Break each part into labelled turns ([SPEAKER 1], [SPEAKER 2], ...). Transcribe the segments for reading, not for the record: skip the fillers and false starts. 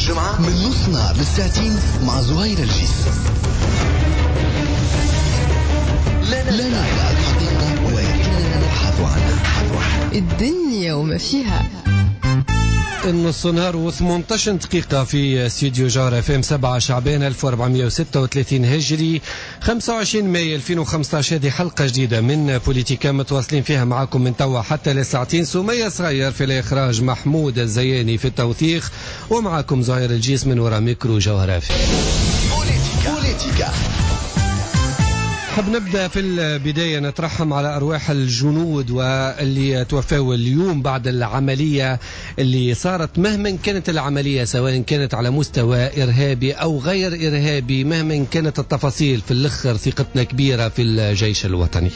[SPEAKER 1] والجمعة من نص نهار للساعتين مع زهير الجيس. لا ندعي الحقيقة ولكننا نبحث عنها.
[SPEAKER 2] الدنيا وما فيها.
[SPEAKER 3] النص نهار و18 دقيقة في استوديو جوهرة اف ام، 7 شعبان 1436 هجري، 25 ماي 2015. هذه حلقة جديدة من بوليتيكا متواصلين فيها معكم من توا حتى لساعتين. سمية صغير في الإخراج، محمود الزياني في التوثيق، ومعكم زهير الجيس من وراء ميكرو جوهرة اف ام.
[SPEAKER 1] بوليتيكا.
[SPEAKER 3] حب نبدأ في البداية نترحم على أرواح الجنود واللي توفوا اليوم بعد العملية اللي صارت، مهما كانت العملية سواء كانت على مستوى إرهابي أو غير إرهابي، مهما كانت التفاصيل في الأخر ثقتنا كبيرة في الجيش الوطني.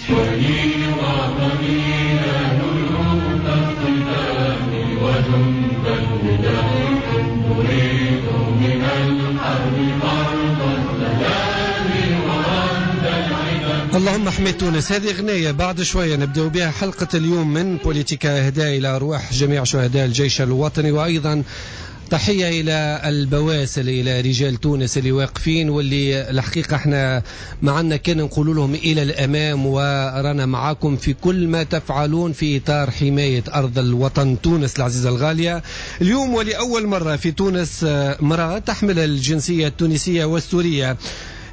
[SPEAKER 3] اللهم احمي تونس. هذه غنية بعد شوية نبدأ بها حلقة اليوم من بوليتيكا، إهداء إلى أرواح جميع شهداء الجيش الوطني، وأيضا تحية إلى البواسل، إلى رجال تونس اللي واقفين واللي الحقيقة احنا معنا كان نقول لهم إلى الأمام، ورانا معاكم في كل ما تفعلون في إطار حماية أرض الوطن تونس العزيزة الغالية. اليوم ولأول مرة في تونس امرأة تحمل الجنسية التونسية والسورية،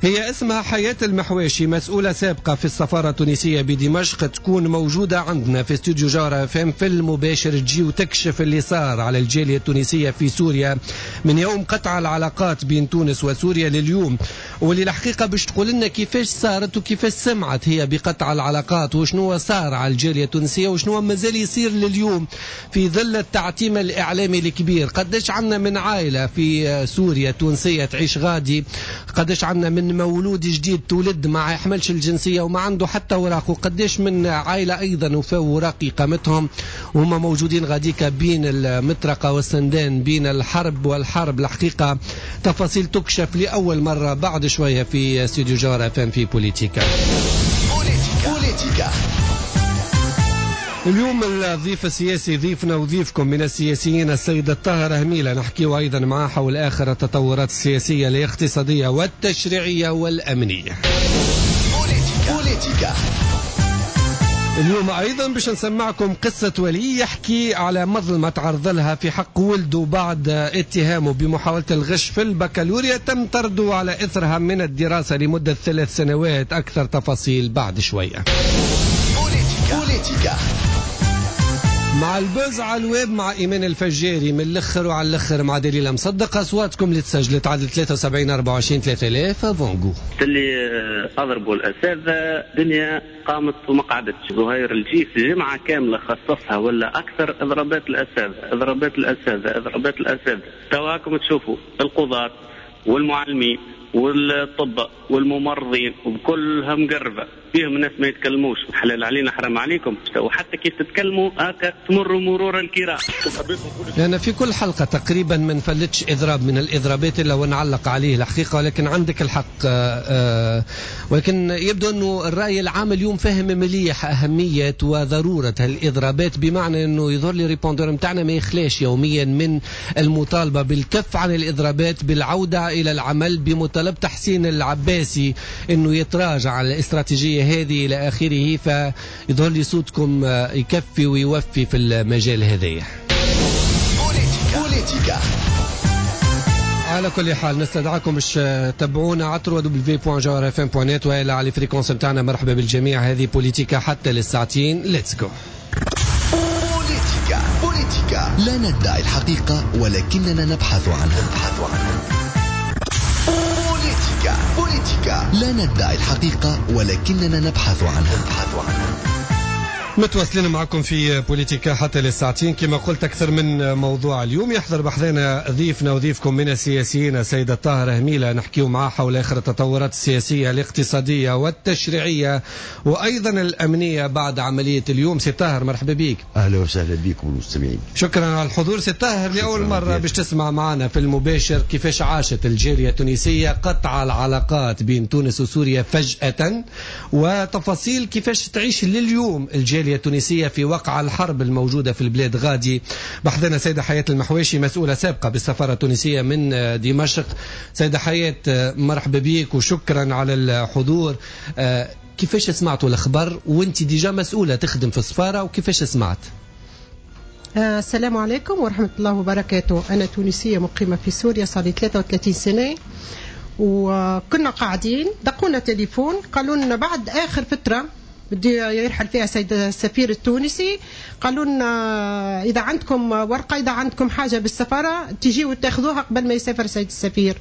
[SPEAKER 3] هي اسمها حياة المحواشي، مسؤولة سابقة في السفارة التونسية بدمشق، تكون موجودة عندنا في استوديو جوهرة اف ام في المباشر، تجي وتكشف اللي صار على الجالية التونسية في سوريا من يوم قطع العلاقات بين تونس وسوريا لليوم، واللي الحقيقة باش تقول لنا كيفاش صارت وكيفاش سمعت هي بقطع العلاقات وشنو صار على الجالية التونسية وشنو مازال يصير لليوم في ظل التعتيم الإعلامي الكبير. قداش عندنا من عائلة في سوريا تونسية تعيش غادي، قداش عندنا من مولود جديد تولد ما يحملش الجنسية وما عنده حتى وراق، وقديش من عائلة أيضا وفاو وراق إقامتهم وهم موجودين غاديك بين المطرقة والسندان، بين الحرب والحرب. الحقيقة تفاصيل تكشف لأول مرة بعد شوية في استوديو جوهرة اف ام في بوليتيكا.
[SPEAKER 1] بوليتيكا.
[SPEAKER 3] اليوم الضيف السياسي ضيفنا وضيفكم من السياسيين السيد الطاهر هميلة، نحكيه أيضا معه حول آخر التطورات السياسية الاقتصادية والتشريعية والأمنية.
[SPEAKER 1] بوليتيكا.
[SPEAKER 3] اليوم أيضا باش نسمعكم قصة ولي يحكي على مظلمة تعرض لها في حق ولده بعد اتهامه بمحاولة الغش في البكالوريا، تم طرده على إثرها من الدراسة لمدة 3 سنوات. أكثر تفاصيل بعد شوية.
[SPEAKER 1] بوليتيكا.
[SPEAKER 3] مع ال buzz على الويب مع إيمان الفجاري من الأخر وعلى الأخر مع دليل مصدق. أصواتكم اللي تسجلت عدد 73 24 3000. فونغو
[SPEAKER 4] اللي أضربوا الأساتذة دنيا قامت وما قعدتش. زهير الجيس جمعة كاملة خصصها ولا أكثر إضرابات الأساتذة، إضرابات الأساتذة، إضرابات الأساتذة. تواكم تشوفوا القضاة والمعلمين والطب والممرضين وبكلها مقربة فيهم ناس ما يتكلموش، حلال علينا حرام عليكم، وحتى كيف تتكلموا هكا تمروا مرور الكرام.
[SPEAKER 3] لأن في كل حلقة تقريبا ما نفلتش إضراب من الإضرابات إلا ونعلق عليه الحقيقة، ولكن عندك الحق. ولكن يبدو أنه الرأي العام اليوم فهم مليح أهمية وضرورة هالإضرابات، بمعنى أنه يظهر لي répondeur متاعنا ما يخلاش يوميا من المطالبة بالكف عن الإضرابات، بالعودة إلى العمل، بمطالبة تحسين العباسي أنه يتراجع على الاستراتيجية هذه إلى آخره. فيظهر لي صوتكم يكفي ويوفي في المجال هذايا.
[SPEAKER 1] بوليتيكا.
[SPEAKER 3] على كل حال نستدعاكم باش تتابعونا على www.jawharafm.net وإلى على fréquence نتاعنا. مرحبا بالجميع، هذه بوليتيكا حتى للساعتين. let's go.
[SPEAKER 1] بوليتيكا. بوليتيكا. لا ندعي الحقيقة ولكننا نبحث عنها. بوليتيكا. بوليتيكا. لا ندعي الحقيقة ولكننا نبحث عنها.
[SPEAKER 3] متواصلين معكم في بوليتيكا حتى للساعتين. كما قلت أكثر من موضوع اليوم يحضر بحثنا ضيفنا وضيفكم من السياسيين السيد الطاهر هميلة، نحكيو معاه حول آخر التطورات السياسية الاقتصادية والتشريعية وأيضا الأمنية بعد عملية اليوم. سي طاهر مرحبا بك.
[SPEAKER 5] أهلا وسهلا بكم والمستمعين.
[SPEAKER 3] شكرا على الحضور سي طاهر. لأول مرة باش تسمع معنا في المباشر كيفاش عاشت الجالية التونسية قطع العلاقات بين تونس وسوريا فجأة، وتفاصيل كيفاش تعيش لليوم الجالية الجالية التونسية في وقع الحرب الموجودة في البلاد غادي. بحثنا سيدة حياة المحواشي، مسؤولة سابقة بالسفارة التونسية من دمشق. سيدة حياة، مرحبا بك وشكرا على الحضور. كيفاش سمعتوا الأخبار وانت déjà مسؤولة تخدم في السفارة، وكيفاش سمعت؟
[SPEAKER 6] السلام عليكم ورحمة الله وبركاته. أنا تونسية مقيمة في سوريا صار لي 33 سنة، وكنا قاعدين دقونا تليفون قالوا لنا بعد آخر فترة بدي يرحل فيها سيد السفير التونسي، قالوا لنا إذا عندكم ورقة، إذا عندكم حاجة بالسفارة تجيوا تاخذوها قبل ما يسافر سيد السفير.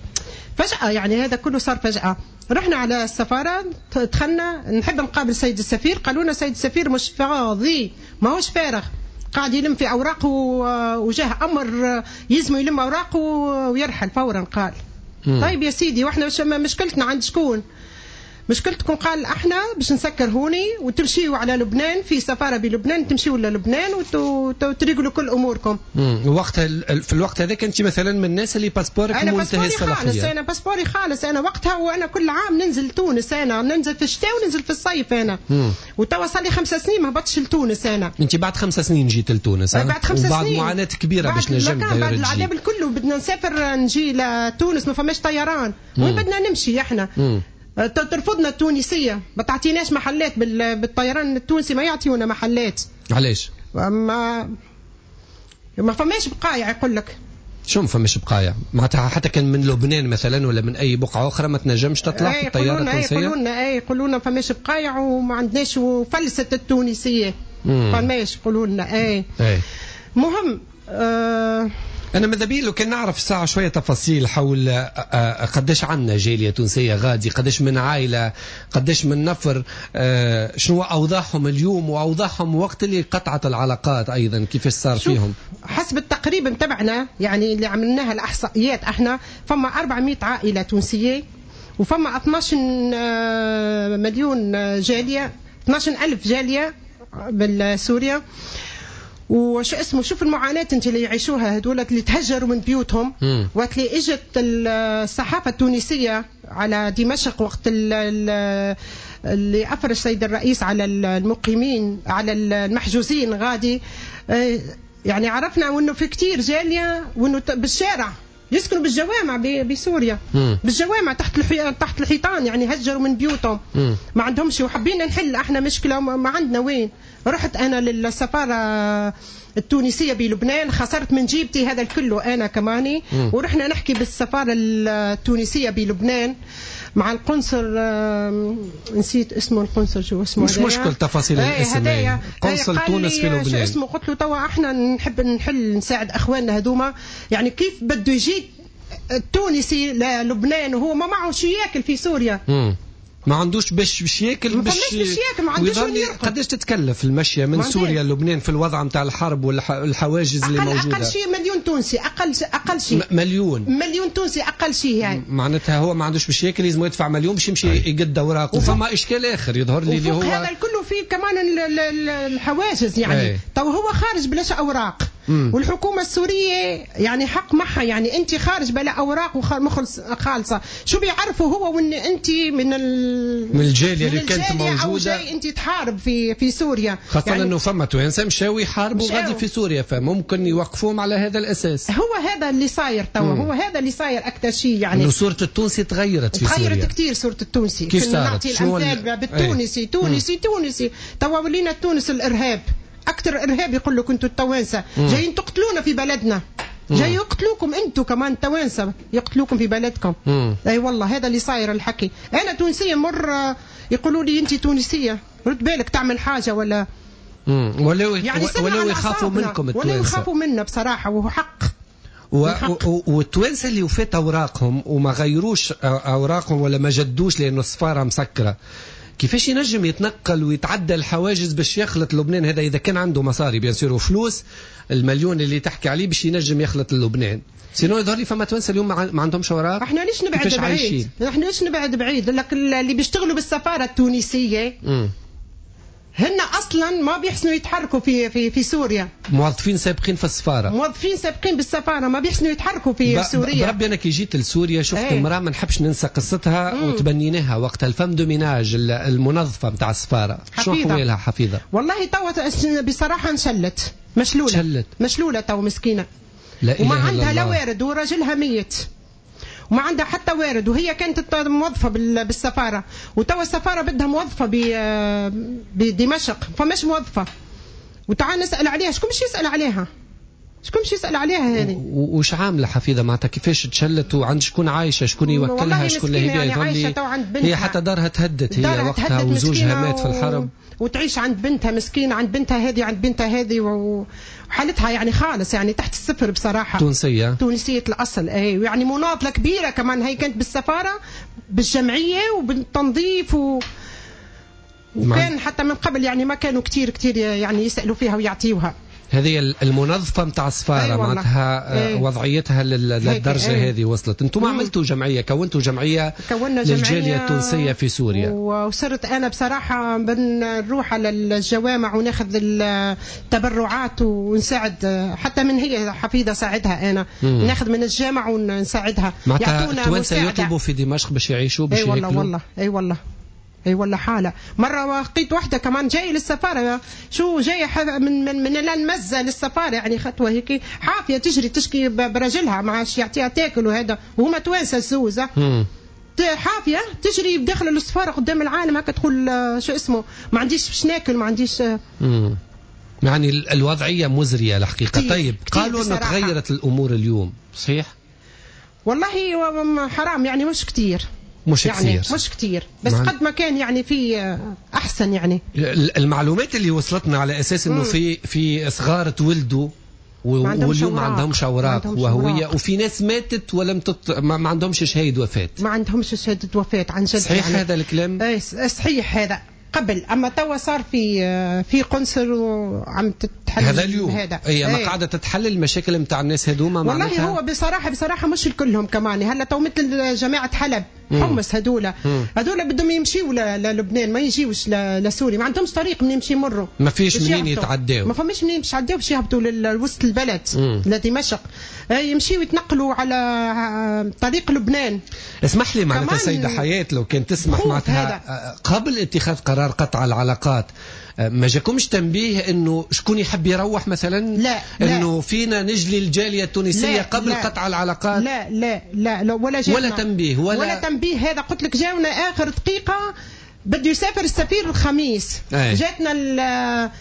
[SPEAKER 6] فجأة يعني هذا كله صار فجأة. رحنا على السفارة، دخلنا نحب نقابل سيد السفير، قالوا لنا سيد السفير مش فاضي، ماهوش فارغ، قاعد يلم في أوراقه وجاه أمر يلزم يلم أوراقه ويرحل فورا. قال طيب يا سيدي، واحنا مشكلتنا عند شكون؟ مشكلتكم قال احنا باش نسكر هوني وتمشيوا على لبنان، في سفارة بلبنان تمشيوا للبنان وتريقلوا كل اموركم.
[SPEAKER 3] وقتها في الوقت هذاك انت مثلا من الناس اللي passeport ك منتهي الصلاحية؟
[SPEAKER 6] انا passeport ي خالص، انا وقتها، وانا كل عام ننزل تونس، انا ننزل في الشتاء وننزل في الصيف انا. وتوا صار لي 5 سنين ما هبطتش لتونس انا.
[SPEAKER 3] انت بعد 5 سنين جيت لتونس؟
[SPEAKER 6] بعد 5 سنين،
[SPEAKER 3] بعد معاناة كبيرة باش نجم،
[SPEAKER 6] بعد العذاب الكل بدنا نسافر نجي لتونس، ما فماش طيران، وين بدنا نمشي احنا؟ ترفضنا التونسية، ما تعطيناش محلات بالطيران التونسي، ما يعطيونا محلات.
[SPEAKER 3] علاش؟
[SPEAKER 6] ما فماش بقايع يقول لك.
[SPEAKER 3] شو ما فماش بقايع؟ معناتها حتى كان من لبنان مثلا ولا من اي بقعة اخرى ما تنجمش تطلع في الطيارة التونسية؟
[SPEAKER 6] يقولوا لنا فماش بقايع وما عندناش، وفلسة التونسية فماش، يقولوا لنا. مهم
[SPEAKER 3] أنا ماذا بي لو كان نعرف ساعة شوية تفاصيل حول قداش عندنا جالية تونسية غادي، قداش من عائلة، قداش من نفر، شنو أوضاعهم اليوم وأوضاعهم وقت اللي قطعت العلاقات أيضا كيفاش صار فيهم.
[SPEAKER 6] حسب التقريب نتبعنا يعني اللي عملناها الإحصائيات احنا، فما 400 عائلة تونسية، وفما 12 مليون جالية، 12 ألف جالية بالسوريا. وش اسمه، شوف المعاناة انت اللي يعيشوها هذول اللي تهجروا من بيوتهم. وقت اللي اجت الصحافة التونسية على دمشق، وقت اللي افرج السيد الرئيس على المقيمين، على المحجوزين غادي، يعني عرفنا انه في كثير جالية، وانه بالشارع يسكنوا بالجوامع بسوريا، بالجوامع تحت الحيطان، يعني هجروا من بيوتهم، ما عندهمش. وحبينا نحل احنا مشكلة ما عندنا وين. رحت انا للسفاره التونسية بلبنان، خسرت من جيبتي هذا الكله انا كماني. ورحنا نحكي بالسفاره التونسية بلبنان مع القنصل، نسيت اسمه القنصل، شو اسمه؟
[SPEAKER 3] مش مشكل تفاصيل الاسم. قنصل تونس في لبنان
[SPEAKER 6] شو اسمه؟ قلت له توا احنا نحب نحل، نساعد اخواننا هذوما، يعني كيف بده يجي التونسي للبنان وهو ما معه شي ياكل في سوريا؟
[SPEAKER 3] ما عندوش باش ياكل،
[SPEAKER 6] باش ياكل، ما عندوش وين يرقد.
[SPEAKER 3] قداش تتكلف المشية من سوريا للبنان في الوضع نتاع الحرب والحواجز اللي موجودة؟
[SPEAKER 6] اقل شيء مليون تونسي، اقل شيء مليون تونسي اقل شيء يعني.
[SPEAKER 3] معناتها هو ما عندوش باش ياكل، لازم يدفع مليون باش يمشي يقد اوراقه. وفما اشكال اخر يظهر لي اللي هو
[SPEAKER 6] هذا الكل فيه كمان الحواجز يعني. تو هو خارج بلاش اوراق، والحكومة السورية يعني حق معها، يعني انت خارج بلا اوراق ومخلص خالصة، شو بيعرفوا هو وان انت من
[SPEAKER 3] الجالية اللي كانت موجودة
[SPEAKER 6] او جاي انت تحارب في سوريا،
[SPEAKER 3] خاصة
[SPEAKER 6] يعني
[SPEAKER 3] انه فما توانسة مشاو يحاربوا غادي في سوريا، فممكن يوقفوهم على هذا الاساس.
[SPEAKER 6] هو هذا اللي صاير توا، هو هذا اللي صاير اكثر شيء يعني،
[SPEAKER 3] انه صوره التونسي تغيرت في سوريا،
[SPEAKER 6] تغيرت كثير صوره التونسي.
[SPEAKER 3] كيف صارت؟
[SPEAKER 6] نعطي الامثال بالتونسي، تونسي تونسي، توا ولينا تونس الارهاب، اكثر ارهاب يقول لك انتم التوانسة جايين تقتلونا في بلدنا، جاي يقتلوكم انتم كمان التوانسة، يقتلوكم في بلدكم. اي والله هذا اللي صاير الحكي. انا تونسية مر يقولوا لي انت تونسية رد بالك تعمل حاجة ولا
[SPEAKER 3] ولو يعني ولو يخافوا منكم التوانسة،
[SPEAKER 6] ولو يخافوا منا بصراحة، وهو حق.
[SPEAKER 3] والتوانسه اللي وفات اوراقهم وما غيروش اوراقهم ولا ما جدوش لانه السفارة مسكره، كيفاش ينجم يتنقل ويتعدى الحواجز باش يخلط لبنان؟ هذا اذا كان عنده مصاري bien sûr وفلوس، المليون اللي تحكي عليه باش ينجم يخلط لبنان. sinon يظهر لي فما توانسة اليوم ما عندهمش اوراق.
[SPEAKER 6] احنا ليش نبعد بعيد؟ احنا ليش نبعد بعيد؟ لك اللي بيشتغلوا بالسفاره التونسية هن اصلا ما بيحسنوا يتحركوا في في في سوريا.
[SPEAKER 3] موظفين سابقين في السفارة،
[SPEAKER 6] موظفين سابقين بالسفاره ما بيحسنوا يتحركوا في سوريا.
[SPEAKER 3] بربي انا كي جيت لسوريا شفت امراة ما نحبش ننسى قصتها وتبنيناها وقتها، ال femme de ménage المنظفه نتاع السفارة، شو حوالها حفيظة؟
[SPEAKER 6] والله توا بصراحة انشلت، مشلوله، شلت. مشلوله تو مسكينه،
[SPEAKER 3] لا
[SPEAKER 6] وما عندها لا وارد وراجلها ميت وما عندها حتى وارد، وهي كانت موظفة بالسفاره، وتوا السفارة بدها موظفة بدمشق، فماش موظفة. وتعال نسال عليها، شكون مش يسال عليها؟ شكون مش يسال عليها هذه؟
[SPEAKER 3] وش عامله حفيظة معناتها؟ كيفاش تشلت وعند شكون عايشه؟ شكون يوكلها؟ شكون اللي
[SPEAKER 6] هي يعني عايشه تو عند بنتها.
[SPEAKER 3] هي حتى دارها تهدت هي وقتها وزوجها مات في الحرب،
[SPEAKER 6] وتعيش عند بنتها مسكينه، عند بنتها هذه عند بنتها هذه، وحالتها يعني خالص يعني تحت الصفر بصراحة.
[SPEAKER 3] تونسية،
[SPEAKER 6] تونسية الاصل اي، ويعني مناضله كبيرة كمان، هي كانت بالسفاره بالجمعيه وبالتنظيف وكان حتى من قبل يعني ما كانوا كثير كثير يعني يسالوا فيها ويعطيوها.
[SPEAKER 3] هذه المنظفه نتاع السفارة معناتها وضعيتها للدرجة هذه وصلت. انتم عملتوا جمعية، كونتوا جمعية للجاليه التونسية في سوريا.
[SPEAKER 6] وصرت انا بصراحة بنروح على الجوامع وناخذ التبرعات ونساعد، حتى من هي حفيظة ساعدها انا، ناخذ من الجامع ونساعدها.
[SPEAKER 3] معناتها التوانسة يطلبوا في دمشق باش يعيشوا باش
[SPEAKER 6] ياكلوا. اي والله والله، اي والله اي والله حاله. مرة لقيت واحدة كمان جاية للسفاره، شو جاية من من من المزة للسفاره، يعني خطوة هيك حافية تجري تشكي برجلها ما عادش يعطيها تاكل وهذا، وهما توانسة الزوزه حافية تجري بداخل السفارة قدام العالم هكا، تقول شو اسمه ما عنديش باش ناكل ما عنديش.
[SPEAKER 3] يعني الوضعية مزرية الحقيقة. طيب قالوا انه تغيرت الامور اليوم، صحيح؟
[SPEAKER 6] والله حرام يعني مش كثير،
[SPEAKER 3] مش
[SPEAKER 6] يعني
[SPEAKER 3] كثير،
[SPEAKER 6] مش كثير، بس قد ما كان يعني في احسن. يعني
[SPEAKER 3] المعلومات اللي وصلتنا على اساس انه في صغار تولدوا واليوم ما عندهمش اوراق وهويه، وفي ناس ماتت ولم ما عندهمش شهادة وفاه،
[SPEAKER 6] ما عندهمش شهادة وفاه عن جد.
[SPEAKER 3] صحيح يعني هذا الكلام؟
[SPEAKER 6] اي صحيح هذا قبل، اما توا صار في قنصل وعم تتحل
[SPEAKER 3] هذا اليوم هذا. اي ما قاعدة تتحل المشاكل نتاع الناس هذوما.
[SPEAKER 6] والله هو بصراحة مش كلهم كمان. هلا تو مثل جماعة حلب حمص هذولا هذولا بدهم يمشيوا للبنان، ما يجيوش لسوريا، ما عندهمش طريق منين يمشي يمروا،
[SPEAKER 3] ما فيش منين يتعداو،
[SPEAKER 6] ما فماش منين باش يتعداو باش يهبطوا لوسط البلد لدمشق، يمشيوا يتنقلوا على طريق لبنان.
[SPEAKER 3] اسمح لي معناتها سيده حياة لو كان تسمح، معناتها قبل اتخاذ قرار قطع العلاقات ما جاكمش تنبيه انه شكون يحب يروح مثلا؟
[SPEAKER 6] لا،
[SPEAKER 3] انه فينا نجلي الجالية التونسية قبل
[SPEAKER 6] لا،
[SPEAKER 3] قطع العلاقات؟
[SPEAKER 6] لا لا لا، لا ولا جاونا
[SPEAKER 3] ولا تنبيه
[SPEAKER 6] ولا تنبيه. هذا قلت لك جاونا اخر دقيقة، بده يسافر السفير الخميس. جاتنا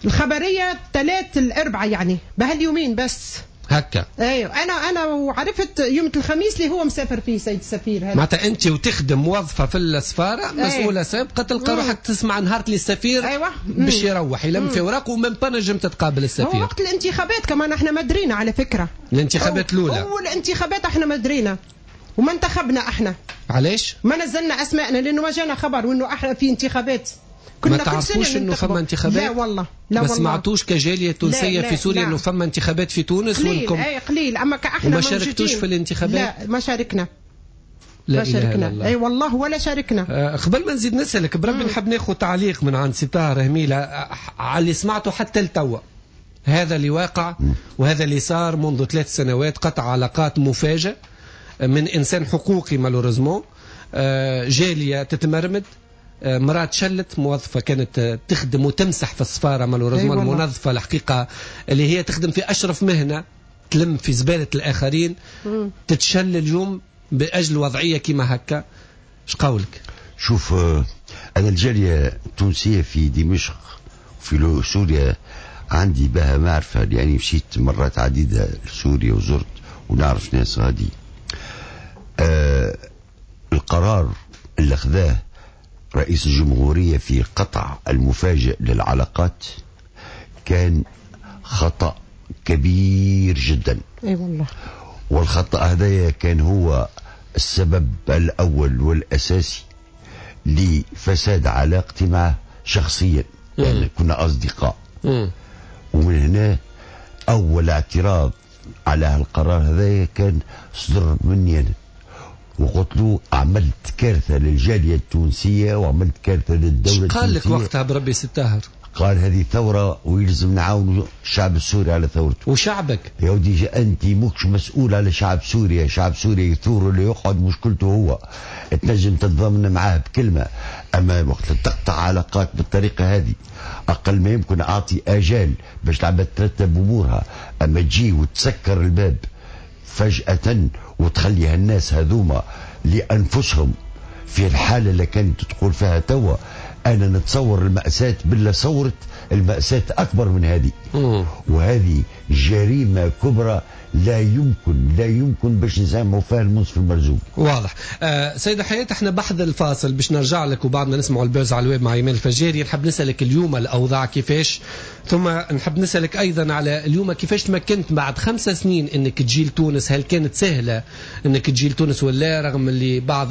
[SPEAKER 6] الخبرية 3 الاربعاء يعني بهاليومين بس
[SPEAKER 3] هكا.
[SPEAKER 6] ايوه انا وعرفت يوم الخميس اللي هو مسافر فيه سيد السفير هذا.
[SPEAKER 3] معناتها انت وتخدم موظفة في السفارة مسؤولة سابقه، تلقى روحك تسمع نهار اللي السفير باش يروح يلم في اوراقه ومن با نجم تتقابل السفير.
[SPEAKER 6] هو وقت الانتخابات كمان احنا ما درينا على فكرة.
[SPEAKER 3] الانتخابات الاولى،
[SPEAKER 6] اول انتخابات احنا ما درينا وما انتخبنا احنا.
[SPEAKER 3] علاش؟
[SPEAKER 6] ما نزلنا اسماءنا لانه ما جانا خبر وانه احنا في انتخابات.
[SPEAKER 3] ما تعرفوش انه فما انتخابات؟
[SPEAKER 6] لا والله، لا
[SPEAKER 3] ما
[SPEAKER 6] والله.
[SPEAKER 3] سمعتوش كجاليه تونسية في سوريا انه فما انتخابات في تونس؟
[SPEAKER 6] قليل، اي قليل، اما كاحنا
[SPEAKER 3] ما شاركتوش في الانتخابات؟
[SPEAKER 6] لا ما شاركنا،
[SPEAKER 3] لا
[SPEAKER 6] ما شاركنا، اي والله ولا شاركنا.
[SPEAKER 3] قبل ما نزيد نسالك بربي نحب ناخذ تعليق من عند سي طاهر هميله على اللي سمعته حتى لتوا، هذا اللي واقع وهذا اللي صار منذ 3 سنوات، قطع علاقات مفاجئ من انسان حقوقي malheureusement، جالية تتمرمد، مرأة شلت موظفة كانت تخدم وتمسح في السفارة malheureusement، المنظفة الحقيقة اللي هي تخدم في أشرف مهنة، تلم في زبالة الآخرين، تتشل اليوم بأجل وضعية كما هكا. اش قولك؟
[SPEAKER 5] شوف، أنا الجالية التونسية في دمشق وفي سوريا عندي بها معرفة، يعني مشيت مرات عديدة لسوريا وزرت ونعرف ناس غادي. القرار اللي أخذاه رئيس الجمهورية في قطع المفاجئ للعلاقات كان خطأ كبير جدا.
[SPEAKER 6] اي والله.
[SPEAKER 5] والخطأ هذا كان هو السبب الأول والأساسي لفساد علاقتي معه شخصيا، يعني كنا أصدقاء. ومن هنا أول اعتراض على هالقرار هذا كان صدر مني أنا، وقلت له عملت كارثة للجالية التونسية وعملت كارثة للدولة التونسية.
[SPEAKER 3] قال لك وقتها بربي سي الطاهر؟
[SPEAKER 5] قال هذه ثورة ويلزم نعاون الشعب السوري على ثورته.
[SPEAKER 3] وشعبك
[SPEAKER 5] يا ودي أنت ماكش مسؤول على شعب سوريا، شعب سوريا يثور اللي يقعد مشكلته هو، تنجم تتضامن معاه بكلمة، أما وقت تقطع علاقات بالطريقة هذه أقل ما يمكن أعطي آجال باش العباد ترتب أمورها، أما تجي وتسكر الباب فجأة وتخلي هالناس هذوما لأنفسهم في الحالة اللي كانت تقول فيها توا، أنا نتصور المأساة بالله صورت المأساة أكبر من هذه. وهذه جريمة كبرى لا يمكن باش نسامحوا فيها المنصف المرزوقي.
[SPEAKER 3] واضح. سيدة حياة، احنا بحذا الفاصل باش نرجع لك وبعد ما نسمعوا ال buzz على الويب مع ايمان الفجاري. نحب نسألك اليوم الأوضاع كيفاش، ثم نحب نسألك أيضا على اليوم كيفاش تمكنت بعد 5 سنين انك تجي لتونس. هل كانت سهلة انك تجي لتونس ولا، رغم اللي بعض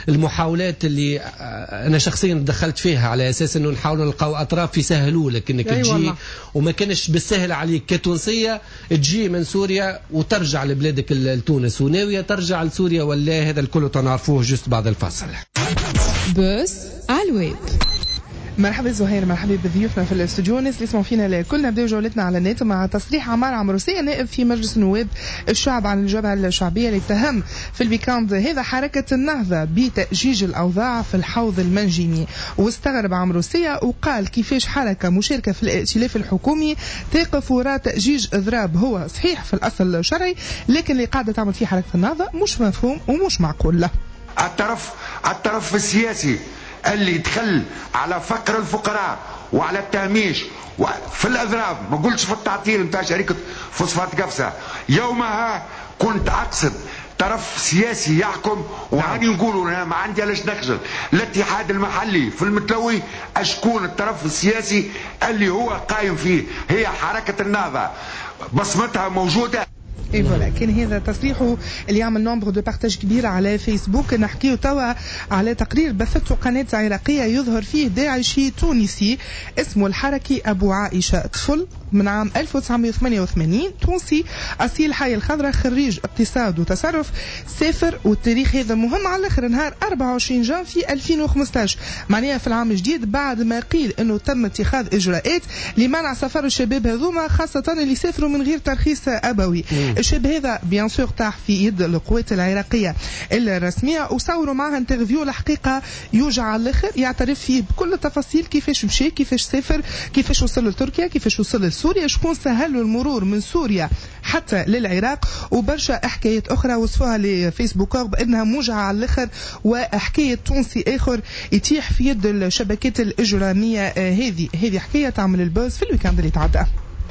[SPEAKER 3] المحاولات اللي أنا شخصيا دخلت فيها على أساس انه نحاولوا نلقاو أطراف يسهلوا لك انك تجي، وما كانش بالسهل عليك كتونسية تجي من سوريا وترجع لبلادك لتونس، وناوية ترجع لسوريا ولا؟ هذا الكل تنعرفوه juste بعد الفاصل.
[SPEAKER 2] buzz على الويب.
[SPEAKER 7] مرحبا زهير، مرحبا بضيوفنا في الاستوديو، الناس اللي يسمعوا فينا الكل. نبداو جولتنا على النت مع تصريح عمار عمروسية نائب في مجلس النواب الشعب عن الجبهة الشعبية اللي اتهم في ال week-end هذا حركة النهضة بتأجيج الأوضاع في الحوض المنجمي. واستغرب عمروسية وقال كيفاش حركة مشاركة في الائتلاف الحكومي تقف وراء تأجيج إضراب هو صحيح في الأصل شرعي، لكن اللي قاعدة تعمل فيه حركة النهضة مش مفهوم ومش معقول له.
[SPEAKER 8] الطرف السياسي اللي دخل على فقر الفقراء وعلى التهميش في الأضراب، ما قلتش في التعطيل نتاع شركة فوسفات قفصة، يومها كنت أقصد طرف سياسي يحكم، وهاني نقولوا أنا ما عندي علاش نخجل، الاتحاد المحلي في المتلوي أشكون الطرف السياسي اللي هو قايم فيه، هي حركة النهضة بصمتها موجودة.
[SPEAKER 7] اي voilà، كان هذا تصريحه اللي يعمل nombre de partages كبير على فيسبوك. نحكيو توا على تقرير بثته قناة عراقية يظهر فيه داعشي تونسي اسمه الحركي ابو عائشة، طفل من عام 1988 تونسي اصيل حي الخضراء، خريج اقتصاد وتصرف، سافر، والتاريخ هذا مهم على الاخر، نهار 24 جانفي 2015، معناها في العام الجديد، بعد ما قيل انه تم اتخاذ اجراءات لمنع سفر الشباب هذوما، خاصة اللي سافروا من غير ترخيص ابوي. الشاب هذا bien sûr طاح في يد القوات العراقية الرسمية، وصوروا معها interview الحقيقة يوجع على الاخر، يعترف فيه بكل التفاصيل، كيفاش مشى، كيفاش سافر، كيفاش وصل لتركيا، كيفاش وصل لسوريا، شكون سهل له المرور من سوريا حتى للعراق، وبرشا حكايات اخرى وصفوها les facebookeurs بانها موجعة على الاخر، وحكاية تونسي اخر يتيح في يد الشبكات الاجرامية. هذه حكاية تعمل ال buzz في ال week-end اللي تعدى.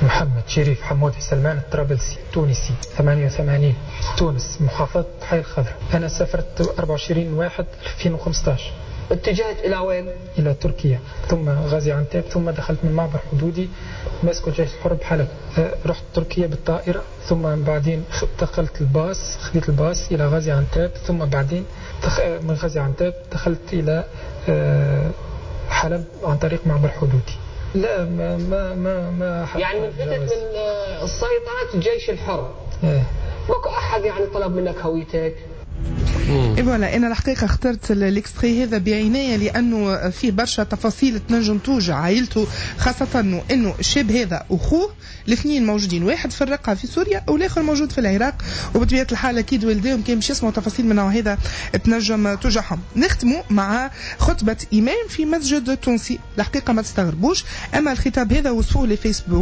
[SPEAKER 9] محمد شريف حمودي سلمان الطرابلسي، تونسي، 88، تونس، محافظة حي الخضراء. أنا سافرت 24/1/2015.
[SPEAKER 10] اتجهت إلى وين؟
[SPEAKER 9] إلى تركيا، ثم غازي عنتاب، ثم دخلت من معبر حدودي ماسكو الجيش الحر بحلب. رحت تركيا بالطائرة، ثم بعدين دخلت الباص، خذيت الباص إلى غازي عنتاب، ثم بعدين من غازي عنتاب دخلت إلى حلب عن طريق معبر حدودي. لا ما ما ما ما
[SPEAKER 10] يعني من فتت من السيطرة الجيش الحر.
[SPEAKER 9] إيه.
[SPEAKER 10] ماكو أحد يعني طلب منك هويتك؟
[SPEAKER 7] اي voilà، انا الحقيقة اخترت ال extrait هذا بعناية لانه فيه برشا تفاصيل تنجم توجع عائلته، خاصة انه الشاب هذا واخوه الاثنين موجودين، واحد في الرقة في سوريا والاخر موجود في العراق، وبطبيعة الحال اكيد والديهم كان باش يسمعوا تفاصيل من هذا تنجم توجعهم. نختموا مع خطبه امام في مسجد تونسي، الحقيقة ما تستغربوش، اما الخطاب هذا وصفوه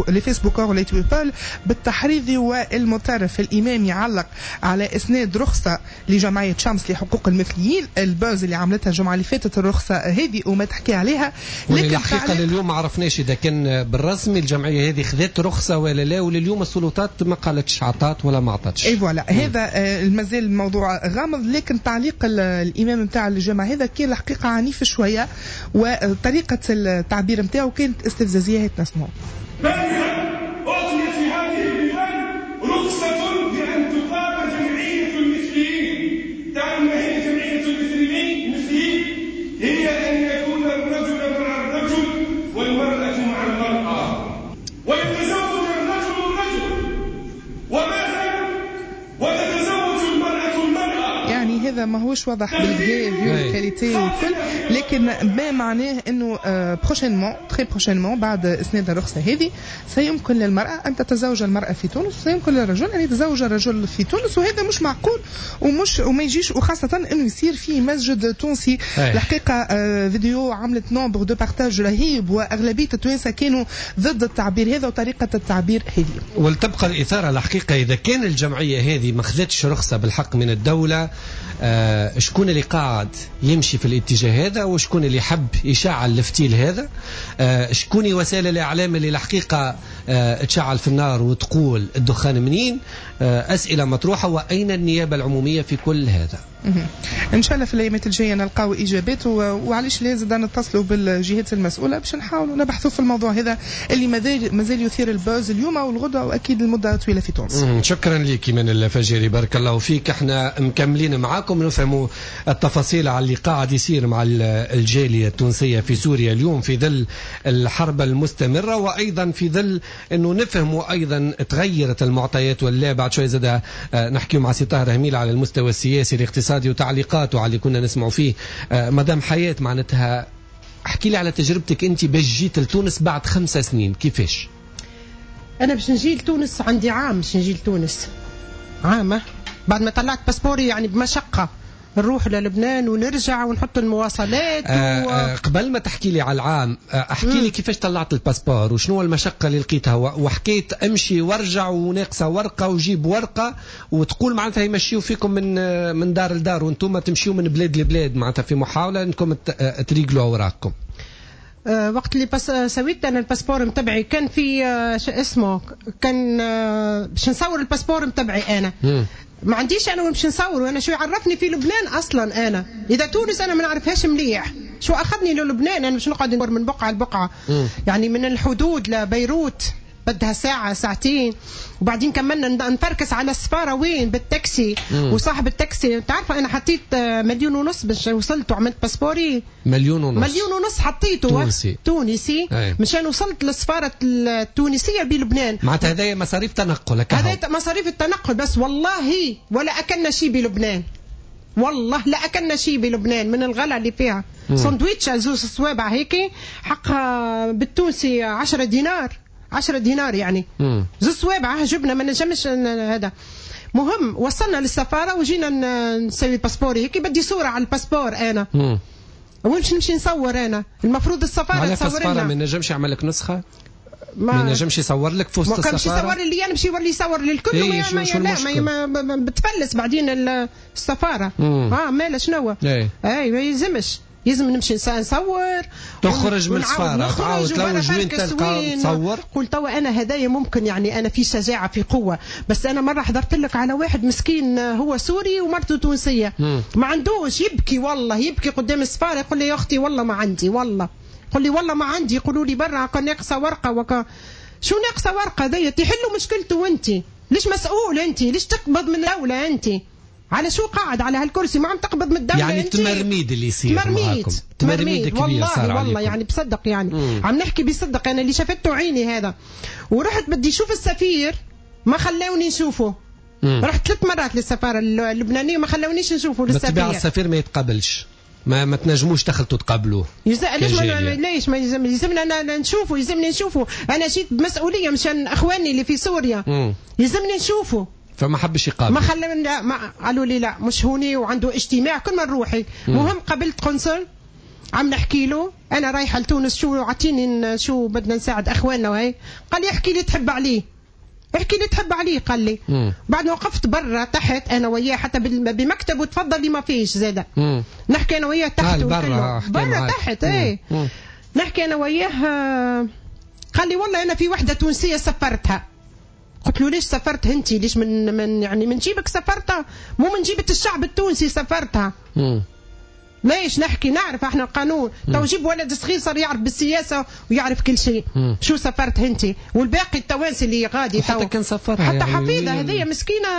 [SPEAKER 7] les facebookeurs و les tweepeuls بالتحريض والمتطرف. الامام يعلق على اسناد رخصه لجمعية شمس لحقوق المثليين، ال buzz اللي عملتها الجمعة اللي فاتت الرخصة هذه وما تحكي عليها،
[SPEAKER 3] لكن الحقيقة لليوم ما عرفناش اذا كان بالرسمي الجمعية هذه خذت رخصه ولا لا، ولليوم السلطات ما قالتش عطات ولا ما عطاتش.
[SPEAKER 7] اي voilà، هذا مازال الموضوع غامض، لكن تعليق الامام نتاع الجامعة هذا كان الحقيقة عنيف شوية، وطريقه التعبير نتاعو كانت استفزازيه. هات نسمعوا.
[SPEAKER 11] أعطيت لهذه البلاد رخصة بأن تقام جمعية المثليين. تعلم ما هي جمعية المثليين؟ هي أن يكون الرجل مع الرجل والمرأة مع المرأة، ويتزوج الرجل الرجل، وماذا؟ وتتزوج المرأة المرأة.
[SPEAKER 7] يعني هذا هذا ماهوش واضح بالكدا vu ال qualité والكل، لكن ما معناه انه prochainement، très prochainement، بعد اسناد الرخصة هذه سيمكن للمراة ان تتزوج المراة في تونس، وسيمكن للرجل ان يتزوج الرجل في تونس، وهذا مش معقول ومش وما يجيش، وخاصة انه يصير في مسجد تونسي. الحقيقة فيديو عملت nombre de partages رهيب، واغلبيه التوانسة كانوا ضد التعبير هذا وطريقه التعبير هذه.
[SPEAKER 3] ولتبقى الاثارة الحقيقه، اذا كان الجمعية هذه ما خذتش رخصه بالحق من الدوله، شكون اللي قاعد يمشي في الاتجاه هذا؟ وشكون اللي حب يشعل الفتيل هذا؟ شكون وسائل الاعلام اللي الحقيقة تشعل في النار وتقول الدخان منين؟ اسئلة مطروحه، واين النيابة العمومية في كل هذا؟
[SPEAKER 7] ان شاء الله في الايامات الجاية نلقاو اجابات، وعلاش لازم نتصلوا بالجهات المسؤولة باش نحاولوا نبحثوا في الموضوع هذا اللي مازال يثير ال buzz اليوم والغدوه واكيد المدة طويلة في تونس.
[SPEAKER 3] شكرا لك من الفجيري، بارك الله فيك. احنا مكملين معاكم نفهموا التفاصيل على اللي قاعد يصير مع الجالية التونسية في سوريا اليوم في ظل الحرب المستمرة، وايضا في ظل انه نفهموا ايضا تغيرت المعطيات ولا. بعد شوي زاد نحكي مع سي طاهر هميل على المستوى السياسي الاقتصادي وتعليقاته على اللي كنا نسمعوا فيه. مدام حياة، معناتها احكي لي على تجربتك انت باش جيت لتونس بعد 5 سنين، كيفاش؟
[SPEAKER 6] انا باش نجي لتونس عندي عام، باش نجي لتونس عام بعد ما طلعت passeport ي، يعني بمشقة نروح للبنان ونرجع ونحط المواصلات.
[SPEAKER 3] قبل ما تحكي لي على العام، احكي لي كيفاش طلعت ال passeport وشنو المشقة اللي لقيتها، وحكيت امشي وارجع وناقصه ورقة وجيب ورقه، وتقول معناتها يمشيو فيكم من دار لدار وانتم تمشيو من بلاد لبلاد، معناتها في محاولة انكم تريقلوا اوراقكم.
[SPEAKER 6] وقت اللي بس سويت انا ال passeport متبعي كان في شو اسمه، كان باش نصور ال passeport متبعي انا. ما عنديش انا وين باش نصور، وانا شو يعرفني في لبنان اصلا؟ انا اذا تونس انا ما نعرفهاش مليح، شو اخذني للبنان انا باش نقعد من بقعة لبقعه؟ يعني من الحدود لبيروت بدها ساعة ساعتين، وبعدين كملنا نفركس على السفارة وين بالتاكسي. وصاحب التاكسي تعرف انا حطيت 1.5 مليون باش وصلت وعملت passeport ي.
[SPEAKER 3] 1.5 مليون؟
[SPEAKER 6] 1.5 مليون حطيته
[SPEAKER 3] تونسي.
[SPEAKER 6] تونسي. مشان وصلت للسفارة التونسية بلبنان.
[SPEAKER 3] معناتها هذايا مصاريف تنقل.
[SPEAKER 6] هذا مصاريف التنقل بس، والله ولا اكلنا شيء بلبنان، والله لا اكلنا شيء بلبنان من الغلا اللي فيها. سندويتش زوز صوابع هيك حقها بالتونسي 10 دينار، 10 دينار يعني زوز صوابع جبنا، ما نجمش هذا. مهم وصلنا للسفاره وجينا نسوي passeport ي هيك، بدي صوره على ال passeport انا. وين باش نمشي نصور انا؟ المفروض السفارة تصور لنا.
[SPEAKER 3] ما نجمش يعمل لك نسخه؟ ما نجمش يصور لك في وسط السفارة؟
[SPEAKER 6] ما كانش يصور لي انا، باش يولي يصور للكل.
[SPEAKER 3] إيه
[SPEAKER 6] ما, لا ما بتفلس بعدين السفارة. مالا شنو؟ اي ما يلزمش، يلزم نمشي نصور.
[SPEAKER 3] تخرج من السفارة تعاود تلوج وين تلقى تصور.
[SPEAKER 6] قلت توا انا هدايا ممكن يعني انا في شجاعة في قوة، بس انا مرة حضرت لك على واحد مسكين هو سوري ومرته تونسية. ما عندوش، يبكي والله يبكي قدام السفارة، يقول لي يا اختي والله ما عندي، والله يقول لي والله ما عندي، يقولوا لي برا ناقصه ورقة شو ناقصه ورقة دي؟ تحلوا مشكلته وانت ليش مسؤول؟ انت ليش تقبض من الدولة؟ انت على شو قاعد على هالكرسي؟ ما عم تقبض من الدولة.
[SPEAKER 3] يعني التمرميد اللي يصير
[SPEAKER 6] تمرميد،
[SPEAKER 3] تمرميد كبير
[SPEAKER 6] والله
[SPEAKER 3] صار
[SPEAKER 6] والله
[SPEAKER 3] عليكم.
[SPEAKER 6] يعني بصدق يعني عم نحكي بصدق، انا اللي شافته عيني هذا. ورحت بدي اشوف السفير ما خلوني نشوفه. رحت 3 مرات للسفاره اللبنانية ما خلونيش نشوفه للسفير.
[SPEAKER 3] بالطبيعة السفير ما يتقبلش، ما تنجموش تخلطوا تقابلوه.
[SPEAKER 6] ليش ما ليش ما يلزمنا نشوفه؟ يلزمني نشوفه، انا جيت بمسؤولية مشان اخواني اللي في سوريا. يلزمني نشوفه.
[SPEAKER 3] فما حبش يقابل.
[SPEAKER 6] ما خلوني، لا ما قالوا لي لا مش هوني وعنده اجتماع كل ما نروحي. مهم قابلت قنصل عم نحكي له انا رايحة لتونس، شو اعطيني شو بدنا نساعد اخواننا وهي. قال لي احكي لي تحب عليه، احكي لي تحب عليه، قال لي. بعد ما وقفت برا تحت انا وياه حتى بمكتبه، تفضلي ما فيش زاده. نحكي انا وياه تحت برا تحت ايه. نحكي انا وياه، قال لي والله انا في وحده تونسية سفرتها. قلت له ليش سافرت انت؟ ليش من يعني من جيبك سافرتها؟ مو من جيبة الشعب التونسي سافرتها. ليش نحكي؟ نعرف احنا القانون. تو جيب ولد صغير صار يعرف بالسياسة ويعرف كل شيء. شو سافرت انت والباقي التوانسة اللي غادي
[SPEAKER 3] حتى كان سافرها
[SPEAKER 6] حتى يعني حفيظة هذه مسكينه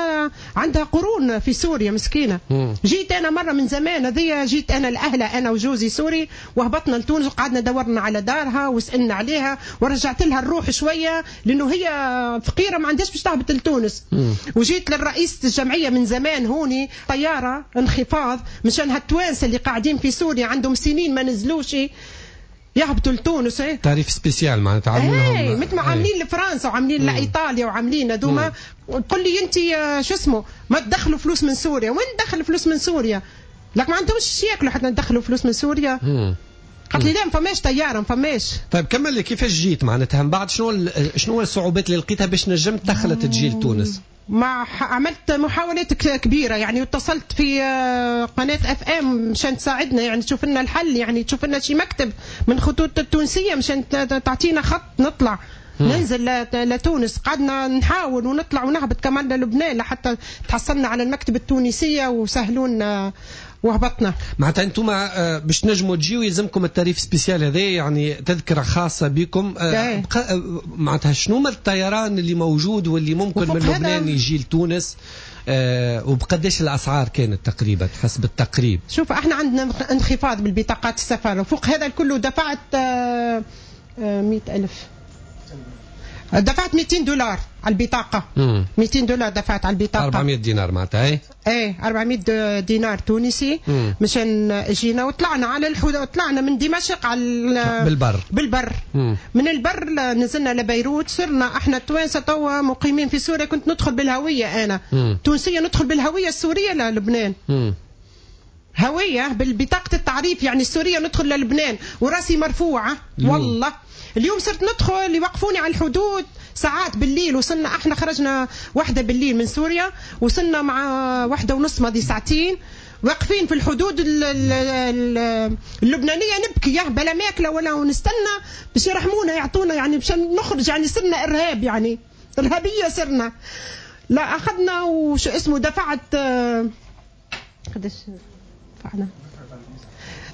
[SPEAKER 6] عندها قرون في سوريا مسكينه. جيت انا مرة من زمان هذه، جيت انا لاهلها انا وجوزي سوري، وهبطنا لتونس وقعدنا دورنا على دارها وسالنا عليها ورجعت لها الروح شوية لانه هي فقيرة ما عندهاش باش تهبط لتونس. وجيت للرئيس الجمعية من زمان هوني طيارة انخفاض مشان هالتوانسه اللي قاعدين في سوريا عندهم سنين ما نزلوش يهبطوا لتونس.
[SPEAKER 3] tarif spécial معناتها عاملين
[SPEAKER 6] مثل ما عاملين لفرنسا وعاملين لايطاليا وعاملين هذوما. قل لي انت شو اسمه ما تدخلوا فلوس من سوريا؟ وين تدخل فلوس من سوريا؟ لك ما عندهمش ياكلوا حتى ندخلوا فلوس من سوريا. قالت لي لا ما فماش طيارة ما فماش.
[SPEAKER 3] طيب كمل لي كيفاش جيت معناتها من بعد، شنو الصعوبات اللي لقيتها باش نجمت دخلت تجي لتونس؟
[SPEAKER 6] مع عملت محاولات كبيرة يعني، واتصلت في قناة FM مشان تساعدنا يعني تشوف لنا الحل، يعني تشوف لنا شي مكتب من خطوط التونسية مشان تعطينا خط نطلع ننزل لتونس. قعدنا نحاول ونطلع ونهبط كمان للبنان لحتى تحصلنا على المكتب التونسية وسهلونا وهبطنا.
[SPEAKER 3] معناتها انتم باش تنجموا تجيو يلزمكم ال tarif spécial هذا، يعني تذكره خاصة بكم. معناتها شنو ما الطيران اللي موجود واللي ممكن من لبنان يجي لتونس، وبقداش الاسعار كانت تقريبا حسب التقريب؟
[SPEAKER 6] شوف احنا عندنا انخفاض بالبطاقات السفر، وفوق هذا الكل دفعت 100,000، دفعت $200 على البطاقة. $200 دفعت على البطاقة،
[SPEAKER 3] 400 دينار معناتها.
[SPEAKER 6] ايه 400 دينار تونسي مشان جينا وطلعنا على الحدود، طلعنا من دمشق على بالبر. من البر نزلنا لبيروت. صرنا احنا التوانسة توا مقيمين في سوريا. كنت ندخل بالهوية انا تونسية، ندخل بالهوية السورية للبنان. هوية بالبطاقة التعريف يعني السورية ندخل للبنان وراسي مرفوعة. والله اليوم صرت ندخل يوقفوني على الحدود ساعات بالليل. وصلنا احنا خرجنا 1 بالليل من سوريا، وصلنا مع 1:30 ماضي ساعتين واقفين في الحدود اللبنانية نبكي بلا ماكلة ولا، ونستنى باش يرحمونا يعطونا يعني باش نخرج، يعني صرنا إرهاب، يعني إرهابية صرنا. لا أخذنا وشو اسمه دفعت قداش دفعنا،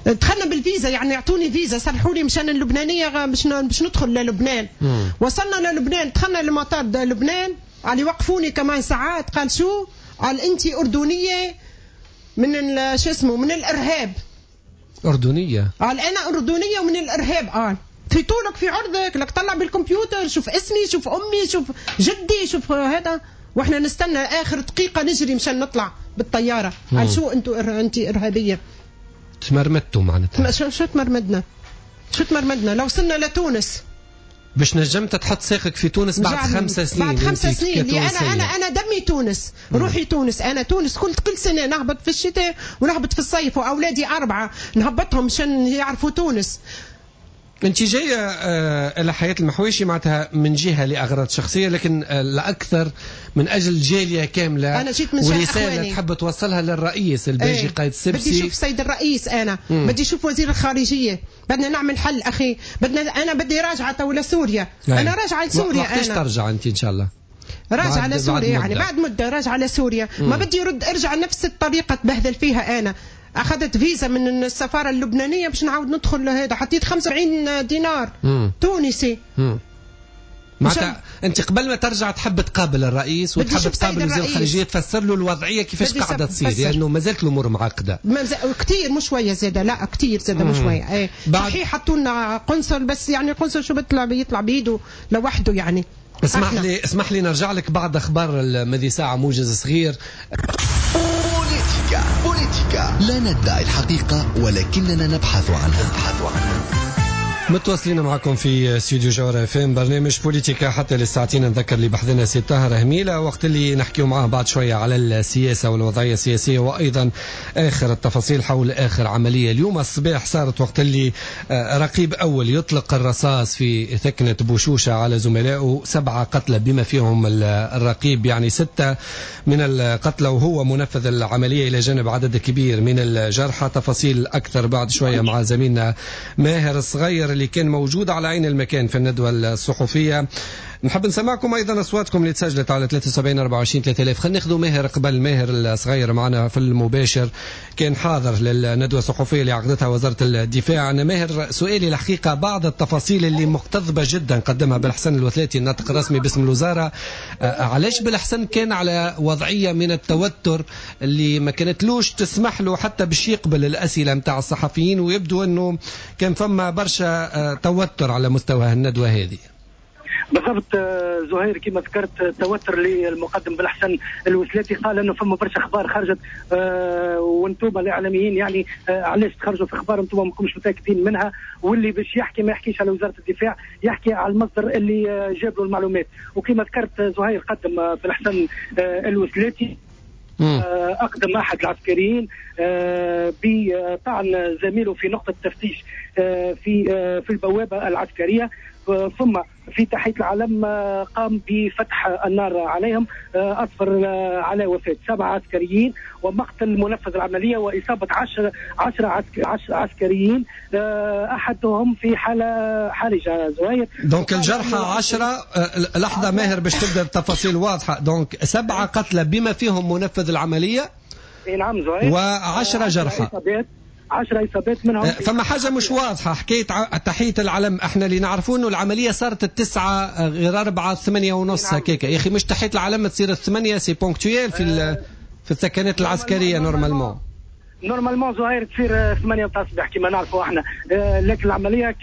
[SPEAKER 6] دخلنا بالفيزا يعني يعطوني فيزا صرحوا لي مشان اللبنانية باش ندخل للبنان. وصلنا للبنان، دخلنا لمطار لبنان، قال يوقفوني كمان ساعات. قال شو؟ قال انت اردنية من شو اسمه من الارهاب.
[SPEAKER 3] اردنية؟
[SPEAKER 6] قال انا اردنية ومن الارهاب. قال في طولك في عرضك، لك طلع بالكمبيوتر شوف اسمي شوف امي شوف جدي شوف هذا. واحنا نستنى اخر دقيقة نجري مشان نطلع بالطيارة. قال شو انت ارهابية؟
[SPEAKER 3] تمرمدتوا معناتها.
[SPEAKER 6] شو تمرمدنا؟ شو تمرمدنا؟ لو وصلنا لتونس
[SPEAKER 3] باش نجمت تحط ساقك في تونس بعد 5 سنين.
[SPEAKER 6] بعد 5 سنين اللي انا دمي تونس، روحي تونس، انا تونس كل سنة نهبط في الشتاء ونهبط في الصيف، واولادي 4 نهبطهم مشان يعرفوا تونس.
[SPEAKER 3] انت جاية الى حياة المحويشي معناتها من جهة لاغراض شخصية، لكن الاكثر من اجل جالية كاملة.
[SPEAKER 6] انا جيت من شان
[SPEAKER 3] ورسالة تحب توصلها للرئيس الباجي قايد السبسي.
[SPEAKER 6] بدي اشوف سيد الرئيس انا، بدي اشوف وزير الخارجية، بدنا نعمل حل اخي، بدنا انا بدي راجعه تو لسوريا. انا راجعه لسوريا.
[SPEAKER 3] وقتاش ترجع انت ان شاء الله؟
[SPEAKER 6] راجعه لسوريا يعني بعد مده راجعه لسوريا. ما بدي ارجع نفس الطريقة تبهذل فيها انا. اخذت فيزا من السفارة اللبنانية باش نعاود ندخل لهذا، حطيت 75 دينار تونسي.
[SPEAKER 3] معناتها انت قبل ما ترجع تحب تقابل الرئيس وتحب تقابل وزير الخارجية تفسر له الوضعية كيفاش قاعدة تصير، لانه يعني ما زالت الامور معقدة
[SPEAKER 6] كثير، مش شوية زاده، لا كثير زاده مش شوية. ايه صحيح حطوا لنا قنصل، بس يعني قنصل شو بيطلع بيده لوحده يعني.
[SPEAKER 3] اسمح لي نرجع لك بعد اخبار الماضي ساعة، موجز صغير.
[SPEAKER 1] بوليتيكا لا ندعي الحقيقة ولكننا نبحث عنها.
[SPEAKER 3] متواصلين معكم في استوديو جوهرة FM برنامج بوليتيكا حتى للساعتين. نذكر اللي بحثنا سي طاهر هميلة وقت اللي نحكيو معاه بعد شوية على السياسة والوضعية السياسية وأيضا آخر التفاصيل حول آخر عملية اليوم الصباح صارت وقت اللي رقيب أول يطلق الرصاص في ثكنة بوشوشة على زملائه، 7 قتلى بما فيهم الرقيب، يعني 6 من القتلى وهو منفذ العملية، إلى جانب عدد كبير من الجرحى. تفاصيل أكثر بعد شوية مع زميلنا ماهر الصغير اللي كان موجود على عين المكان في الندوة الصحفية. نحب نسمعكم ايضا اصواتكم اللي تسجلت على 73 24 3000. خلينا ناخذوا ماهر قبل، ماهر الصغير معنا في المباشر، كان حاضر للندوه الصحفية اللي عقدتها وزارة الدفاع. انا ماهر سؤالي الحقيقة بعض التفاصيل اللي مقتضبه جدا قدمها بالحسن الوثلاتي الناطق الرسمي باسم الوزارة، علاش بالحسن كان على وضعية من التوتر اللي ما كانتلوش تسمح له حتى باش يقبل الاسئلة نتاع الصحفيين، ويبدو انه كان فما برشا توتر على مستوى الندوة هذه؟
[SPEAKER 12] بالضبط زهير، كما ذكرت التوتر للمقدم بالحسن الوسلاتي، قال انه فما برشا اخبار خرجت وانتم الاعلاميين يعني علاش تخرجوا في اخبار انتم ماكمش متاكدين منها، واللي باش يحكي ما يحكيش على وزارة الدفاع، يحكي على المصدر اللي جاب له المعلومات. وكما ذكرت زهير قدم بالحسن الوسلاتي أقدم أحد العسكريين بطعن زميله في نقطة تفتيش في البوابة العسكرية، ثم في تحية العلم قام بفتح النار عليهم، أسفر على وفاة 7 عسكريين ومقتل منفذ العملية وإصابة 10 عسكريين، أحدهم في حالة حرجة. زهير
[SPEAKER 3] donc الجرحى 10. لحظة ماهر باش تبدأ التفاصيل واضحة. donc 7 قتلى بما فيهم منفذ العملية،
[SPEAKER 12] نعم زهير،
[SPEAKER 3] و10 جرحى،
[SPEAKER 12] 10 إصابات منهم.
[SPEAKER 3] فما حاجة مش واضحة حكاية تحية العلم، احنا اللي نعرفوه انه العملية صارت 8:45 8:30 هكاك، يا اخي مش تحية العلم تصير 8، c'est ponctuel في الثكنات العسكرية normalement.
[SPEAKER 12] normalement زهير تصير 8 تاع الصباح كما نعرفوا احنا، لكن العملية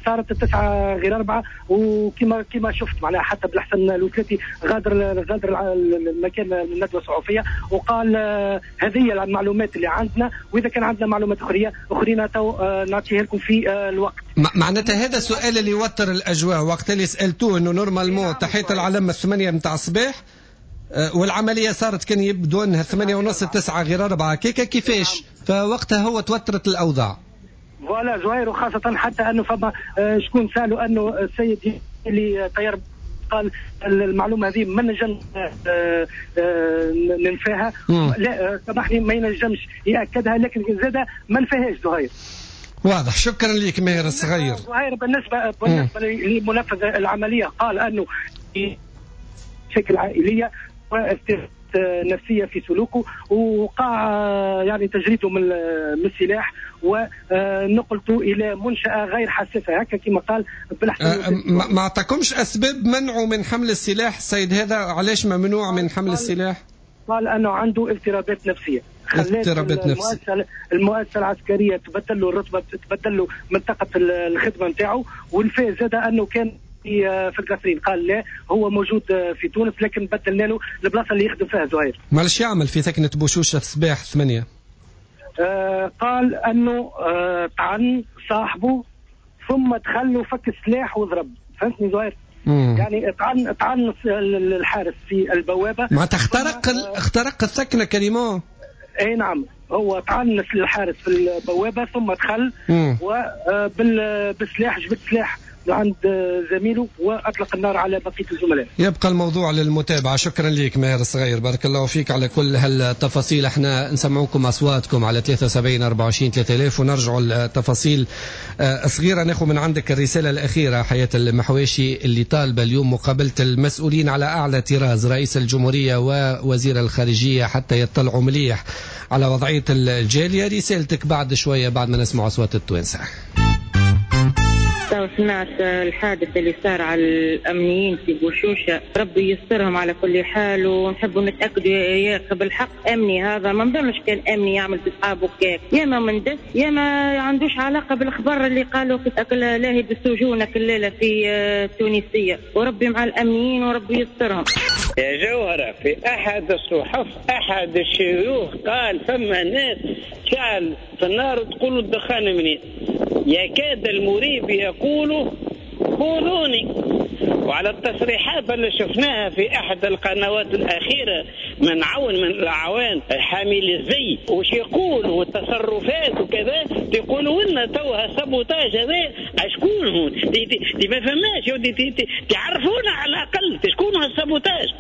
[SPEAKER 12] صارت 8:45، وكما شفت معناها حتى بالحسن الوثلاتي غادر المكان الندوة الصحفية وقال هذه هي المعلومات اللي عندنا، واذا كان عندنا معلومات اخرين تو نعطيها لكم في الوقت.
[SPEAKER 3] معناتها هذا السؤال اللي يوتر الاجواء وقت اللي سالتوه انه normalement تحية العلم 8 نتاع الصباح والعملية صارت كان يبدو انها 8:30 8:45 كيكا، كيفاش؟ فوقتها هو توترت الاوضاع.
[SPEAKER 12] voilà زهير، وخاصة حتى انه فما شكون سالوا انه السيد اللي طير قال المعلومة هذه ما نجم ننفاها، لا سامحني ما ينجمش ياكدها، لكن زاد ما نفاهاش زهير.
[SPEAKER 3] واضح، شكرا لك ماهر الصغير.
[SPEAKER 12] زهير بالنسبة لمنفذ العملية قال انه مشاكل عائلية واستفادة نفسية في سلوكه، وقع يعني تجريده من السلاح ونقلته الى منشاه غير حساسة هكا كما قال
[SPEAKER 3] بالحسن. ما اعطاكمش اسباب منعه من حمل السلاح السيد هذا؟ علاش ممنوع من حمل السلاح؟
[SPEAKER 12] قال انه عنده اضطرابات نفسية،
[SPEAKER 3] اضطرابات نفسية.
[SPEAKER 12] المؤسسة العسكرية تبدل له الرتبة، تبدل له منطقة الخدمة نتاعو، والفاز زاد انه كان في القصرين، قال لا هو موجود في تونس لكن بدلنا له البلاصة اللي يخدم فيها زهير.
[SPEAKER 3] معلش يعمل في ثكنه بوشوشه الصباح 8؟
[SPEAKER 12] قال انه طعن صاحبه ثم دخل وفك السلاح وضرب، فهمتني زهير؟ يعني طعن الحارس في البوابة،
[SPEAKER 3] معناتها اخترق الثكنه كريمون.
[SPEAKER 12] اي نعم، هو طعن الحارس في البوابة ثم دخل وبالسلاح جبت سلاح عند زميله واطلق النار على بقية الزملاء.
[SPEAKER 3] يبقى الموضوع للمتابعة. شكرا لك ماهر الصغير، بارك الله فيك على كل هالتفاصيل. احنا نسمعوكم اصواتكم على 73 24 3000 ونرجعوا التفاصيل صغيرة. ناخذ من عندك الرسالة الاخيرة حياة المحواشي اللي طالبه اليوم مقابله المسؤولين على اعلى طراز، رئيس الجمهورية ووزير الخارجية، حتى يطلعوا مليح على وضعية الجالية. رسالتك بعد شوية بعد ما نسمع اصوات التوانسة.
[SPEAKER 13] سمعت الحادث اللي صار على الأمنيين في بوشوشة، ربي يسترهم على كل حال، ونحبوا نتأكدوا يا بالحق أمني هذا، ما نظنش كان أمني يعمل بأصحابه كيف، يا ما مندس يا ما عندوش علاقة بالأخبار اللي قالوا لاهي بالسجون الليلة في التونسية، وربي مع الأمنيين وربي يسترهم.
[SPEAKER 14] يا جوهرة، في أحد الصحف أحد الشيوخ قال فما ناس شعل في النار تقولوا الدخان منين، يكاد المريب يقول خذوني. وعلى التصريحات اللي شفناها في أحد القنوات الأخيرة من عون من الأعوان حامل الزي وش يقول والتصرفات وكذا، تقولوا لنا توها sabotage هذا شكون هون؟ دي ما فهمناش، تعرفونا على الأقل شكون هال sabotage.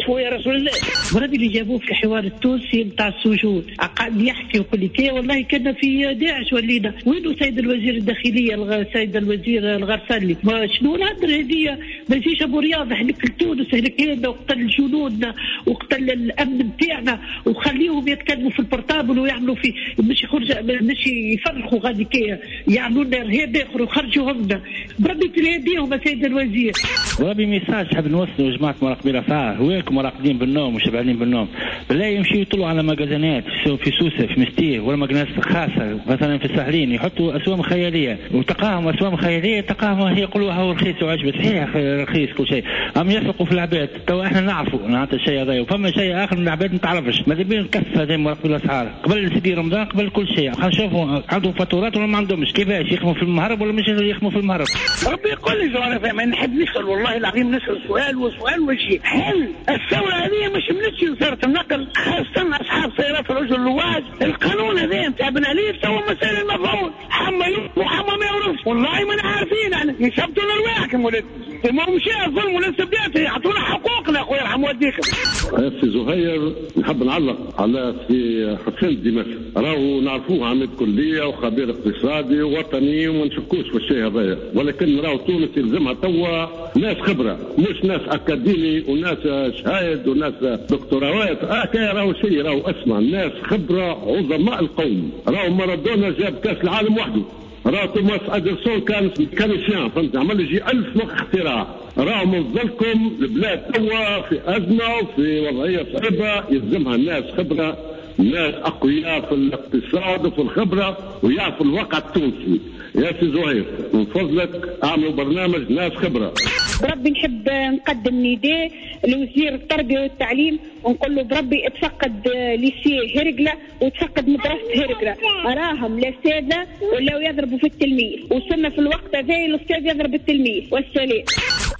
[SPEAKER 15] شو يا رسول الله. بربي اللي جابوه في الحوار التونسي نتاع السجون قاعد يحكي ويقول لك والله كنا في داعش ولينا. وينو سيد الوزير الداخلية سيد الوزير الغرسلي؟ شنو الهدرة هذه؟ ما يجيش ابو رياض هلك تونس، هلك هنا وقتل جنودنا وقتل الامن نتاعنا وخليهم يتكلموا في ال portable ويعملوا في مش يخرج مش يفرخوا غادي كي يعملوا لنا ارهاب اخر وخرجوهم لنا. بربي تلاقيهم سيد الوزير.
[SPEAKER 16] بربي message حاب نوصلوا لجماعة مراقبين الاسعار، وينكم مراقبين بالنوم وشبعانين بالنوم؟ بالله يمشيوا يطلعوا على مجازنات في سوسة في مستير ولا مجانات خاصة مثلا في الساحلين، يحطوا اسوام خيالية وتقاهم اسوام خيالية، تقاهم يقولوا هو رخيص وعجبه، صحيح رخيص كل شيء، هم يسرقوا في العباد. تو احنا نعرفوا نعطي الشيء هذا، وفما شيء اخر من العباد ما تعرفش، ماذا بينا نكف هذا مراقبين الاسعار قبل سيدي رمضان قبل كل شيء، خلينا نشوفوا عندهم فاتورات ولا ما عندهمش، كيفاش يخدموا في المهرب ولا مش يخدموا في المهرب.
[SPEAKER 15] ربي يقول لي انا ما نحب نسال والله العظيم، نسال سؤال وسؤال وشيء، هل الثورة هذه مش منتش وزارة النقل خاصة اصحاب سيارات الرجل اللواج؟ القانون هذا نتاع بن علي تو مسائل المفعول، حما وحما ما يعرفش، والله ما عارفين احنا، يثبتوا لنا رواحكم ولاد، ما مش الظلم ولا الاستبداد، يعطونا حقوقنا خويا يرحم والديكم.
[SPEAKER 17] سي زهير نحب نعلق على سي حسين دمشق، راهو نعرفوه عميد كليه وخبير اقتصادي ووطني وما نشكوش في الشيء هذايا، ولكن راهو تونس يلزمها توا ناس خبره، مش ناس اكاديمي وناس شهايد وناس دكتوراوات، كاين راهو شيء راهو اسمع، ناس خبره عظماء القوم، راهو مارادونا جاب كاس العالم وحده، راهو توماس ادرسون كان mécanicien، فهمت، عمل يجي 1000 اختراع، راهو من فضلكم البلاد توا في ازمة وفي وضعية صعبة، يلزمها ناس خبره، ناس اقوياء في الاقتصاد وفي الخبرة ويعرفوا الواقع التونسي. يا سي زهير من فضلك اعملوا برنامج ناس خبره.
[SPEAKER 18] بربي نحب نقدم نداء لوزير التربية والتعليم ونقول له بربي اتفقد lycée هرقله وتفقد مدرسه هرقله، راهم الاساتذة ولاو يضربوا في التلميذ، وصلنا في الوقت هذا الاستاذ يضرب التلميذ. والسلام.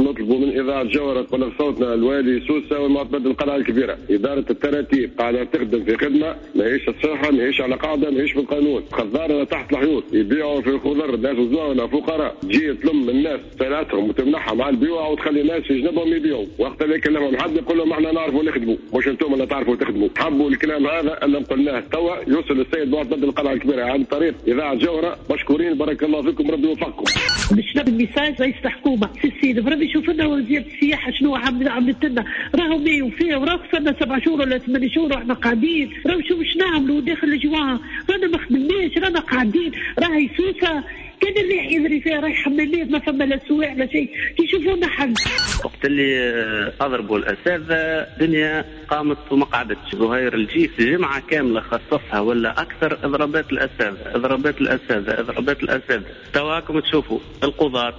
[SPEAKER 19] نطلبوا من اذاعة جوهره تبلغ صوتنا الوالي سوسة والمعتمد القلعة الكبيرة، ادارة التراتيب قاعدة تخدم في خدمة ماهيش صحيحه، ماهيش على قاعدة، ماهيش بالقانون، خضارنا تحت الحيوط يبيعوا في الخضر، ناس زوانا فقراء، تجي تلم الناس سلعتهم وتمنعهم على البيوع وتخلي الناس في جنبهم يبيعوا، وقت اللي يكلمهم حد يقول لهم احنا نعرفوا نخدموا، مش انتم اللي تعرفوا تخدموا. حبوا الكلام هذا اللي قلناه توا يوصل للسيد معتمد القلعة الكبيرة عن طريق اذاعة جوهره. مشكورين بارك الله فيكم، ربي يوفقكم.
[SPEAKER 15] باش نبني message رئيس الحكومة في السيد بربي شوف لنا وزير السياحة شنو عملت لنا، راهو ما وفيه وراهو خسرنا 7 شهور ولا 8 شهور واحنا قاعدين، راهو شوف باش نعملوا داخل الجوان، رانا ما خدمناش، رانا قاعدين، راهي سوسة كان الريح يجري فيها، راهي حمامات ما فما لا سواع لا شيء، كيشوفونا حل.
[SPEAKER 4] وقت اللي اضربوا الاساتذة الدنيا قامت وما قعدتش. زهير الجيس جمعه كاملة خصصها ولا اكثر اضرابات الاساتذة، اضرابات الاساتذة، اضرابات الاساتذة. تواكم تشوفوا القضاة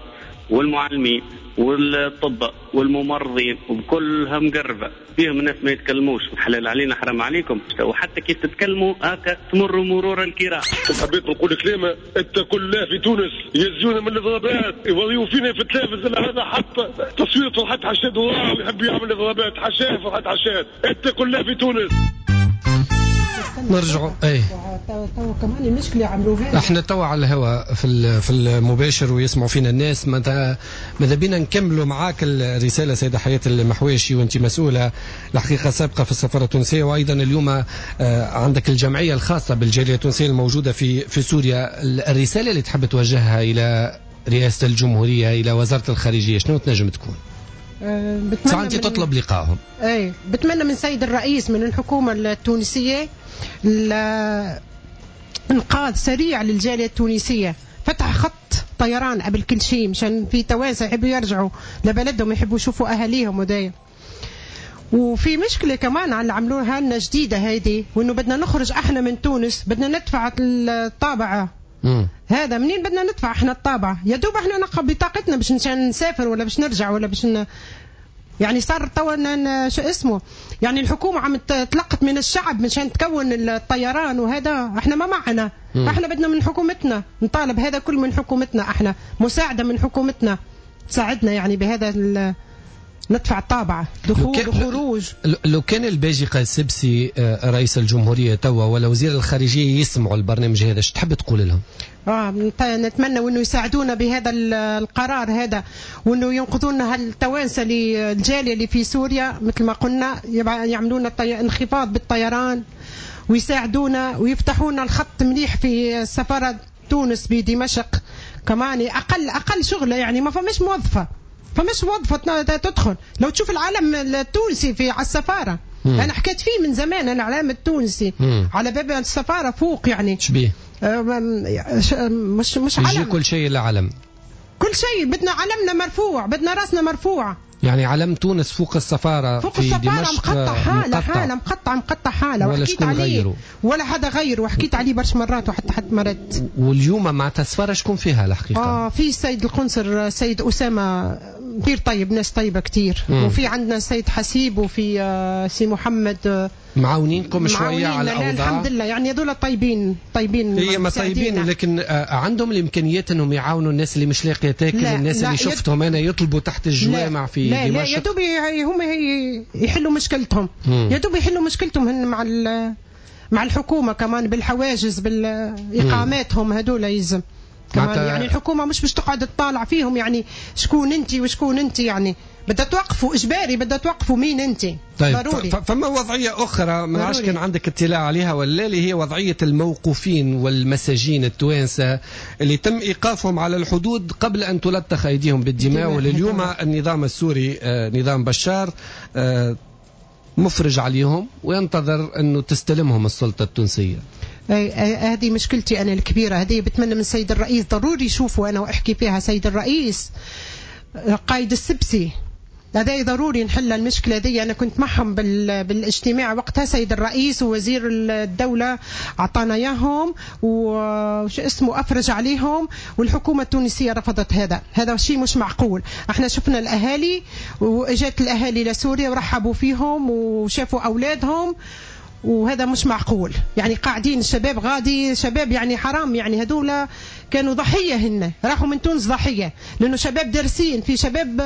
[SPEAKER 4] والمعلمين والطباء والممرضين وبكلها مقربة فيهم الناس ما يتكلموش، حلال علينا حرام عليكم، وحتى كيف تتكلموا هكا تمروا مرور الكرام.
[SPEAKER 11] حبيت نقول كلمة، اتقوا الله في تونس، يزيونا من الاضرابات، يوريوا فينا في التلفز هذا حتى تصوير فرحات حشاد ويحب يعمل اضرابات، حشاه فرحات حشاد، اتقوا الله في تونس.
[SPEAKER 3] نرجعوا اي
[SPEAKER 6] تو كمان المشكلة عملوها
[SPEAKER 3] احنا تو على الهواء في المباشر ويسمعوا فينا الناس. ماذا بينا نكملوا معاك الرسالة سيده حياة المحواشي، وانت مسؤولة الحقيقة سابقه في السفارة التونسية، وايضا اليوم عندك الجمعية الخاصة بالجاليه التونسية الموجودة في سوريا. الرسالة اللي تحب توجهها الى رئاسة الجمهورية، الى وزارة الخارجية، شنو تنجم تكون؟
[SPEAKER 6] بتمنى
[SPEAKER 3] انت تطلب لقائهم.
[SPEAKER 6] اي بتمنى من سيد الرئيس، من الحكومة التونسية، انقاذ سريع للجاليه التونسية، فتح خط طيران قبل كل شيء مشان في توانسة يحبوا يرجعوا لبلدهم، يحبوا يشوفوا اهاليهم ودايا. وفي مشكلة كمان على اللي عملوها لنا جديدة هيدي، وانه بدنا نخرج احنا من تونس بدنا ندفع الطابعه. هذا منين بدنا ندفع احنا الطابعه؟ يا دوب احنا نقب بطاقتنا باش نسافر ولا باش نرجع ولا باش يعني صار توا شو اسمه، يعني الحكومة عم تلقط من الشعب مشان تكون الطيران، وهذا احنا ما معنا. احنا بدنا من حكومتنا نطالب هذا كل من حكومتنا، احنا مساعدة من حكومتنا تساعدنا يعني بهذا. ندفع الطابعة، دخول وخروج.
[SPEAKER 3] لو كان الباجي قائد السبسي رئيس الجمهورية توا ولا وزير الخارجية يسمعوا البرنامج هذا، ايش تحب تقول لهم؟
[SPEAKER 6] نتمنى وانه يساعدونا بهذا القرار هذا، وانه ينقذونا هالتوانسه اللي الجالية اللي في سوريا مثل ما قلنا، يعملونا انخفاض بالطيران ويساعدونا ويفتحونا الخط مليح في سفارة تونس بدمشق كمان، اقل شغله يعني ما فماش موظفة، فمش موظفة تدخل. لو تشوف العلم التونسي في على السفارة، انا حكيت فيه من زمان، انا العلم التونسي على باب السفارة فوق يعني
[SPEAKER 3] شبيه
[SPEAKER 6] مش علم،
[SPEAKER 3] يجي كل شيء العلم،
[SPEAKER 6] كل شيء بدنا علمنا مرفوع، بدنا راسنا مرفوع.
[SPEAKER 3] يعني علم تونس فوق السفارة،
[SPEAKER 6] فوق
[SPEAKER 3] في
[SPEAKER 6] السفارة
[SPEAKER 3] دمشق
[SPEAKER 6] مقطع حالة، حالة مقطع حالة،
[SPEAKER 3] ولا
[SPEAKER 6] وحكيت
[SPEAKER 3] شكون
[SPEAKER 6] عليه
[SPEAKER 3] غيره،
[SPEAKER 6] ولا حدا غيره، وحكيت عليه برش مرات وحتى حد ما رد.
[SPEAKER 3] واليوم مع السفارة شكون فيها الحقيقة؟
[SPEAKER 6] في السيد القنصل السيد أسامة كثير طيب، ناس طيبة كثير، وفي عندنا السيد حسيب، وفي سي محمد،
[SPEAKER 3] معاونينكم شوية على الأوضاع
[SPEAKER 6] الحمد لله. يعني هذول طيبين طيبين،
[SPEAKER 3] هي ما طيبين، لكن عندهم الإمكانيات أنهم يعاونوا الناس اللي مش لاقية تاكل، الناس اللي شفتهم أنا يطلبوا تحت الجوامع في
[SPEAKER 6] لا
[SPEAKER 3] دمشق.
[SPEAKER 6] لا يا دوب هم يحلوا مشكلتهم، يا دوب يحلوا مشكلتهم هن مع الحكومة كمان، بالحواجز بالإقاماتهم هذول يلزم كمان. يعني الحكومة مش باش تقعد تطالع فيهم، يعني شكون انت وشكون انت، يعني بدها توقفوا اجباري، بدها توقفوا مين انت.
[SPEAKER 3] طيب
[SPEAKER 6] ضروري.
[SPEAKER 3] فما وضعية اخرى ما عادش كان عندك اطلاع عليها ولا، اللي هي وضعية الموقوفين والمساجين التوانسة اللي تم ايقافهم على الحدود قبل ان تلطخ ايديهم بالدماء، ولليوم النظام السوري نظام بشار مفرج عليهم وينتظر انه تستلمهم السلطة التونسية.
[SPEAKER 6] هذه مشكلتي أنا الكبيرة، هذه بتمنى من سيد الرئيس ضروري يشوفوا أنا وأحكي فيها سيد الرئيس قايد السبسي، هذا ضروري نحل المشكلة دي. أنا كنت معهم بالاجتماع وقتها، سيد الرئيس ووزير الدولة أعطانا إياهم وش اسمه أفرج عليهم، والحكومة التونسية رفضت هذا. هذا شيء مش معقول. احنا شفنا الأهالي، وإجت الأهالي لسوريا ورحبوا فيهم وشافوا أولادهم، وهذا مش معقول. يعني قاعدين الشباب غادي، شباب يعني حرام، يعني هذولا كانوا ضحية، هن راحوا من تونس ضحية، لأنه شباب دارسين، في شباب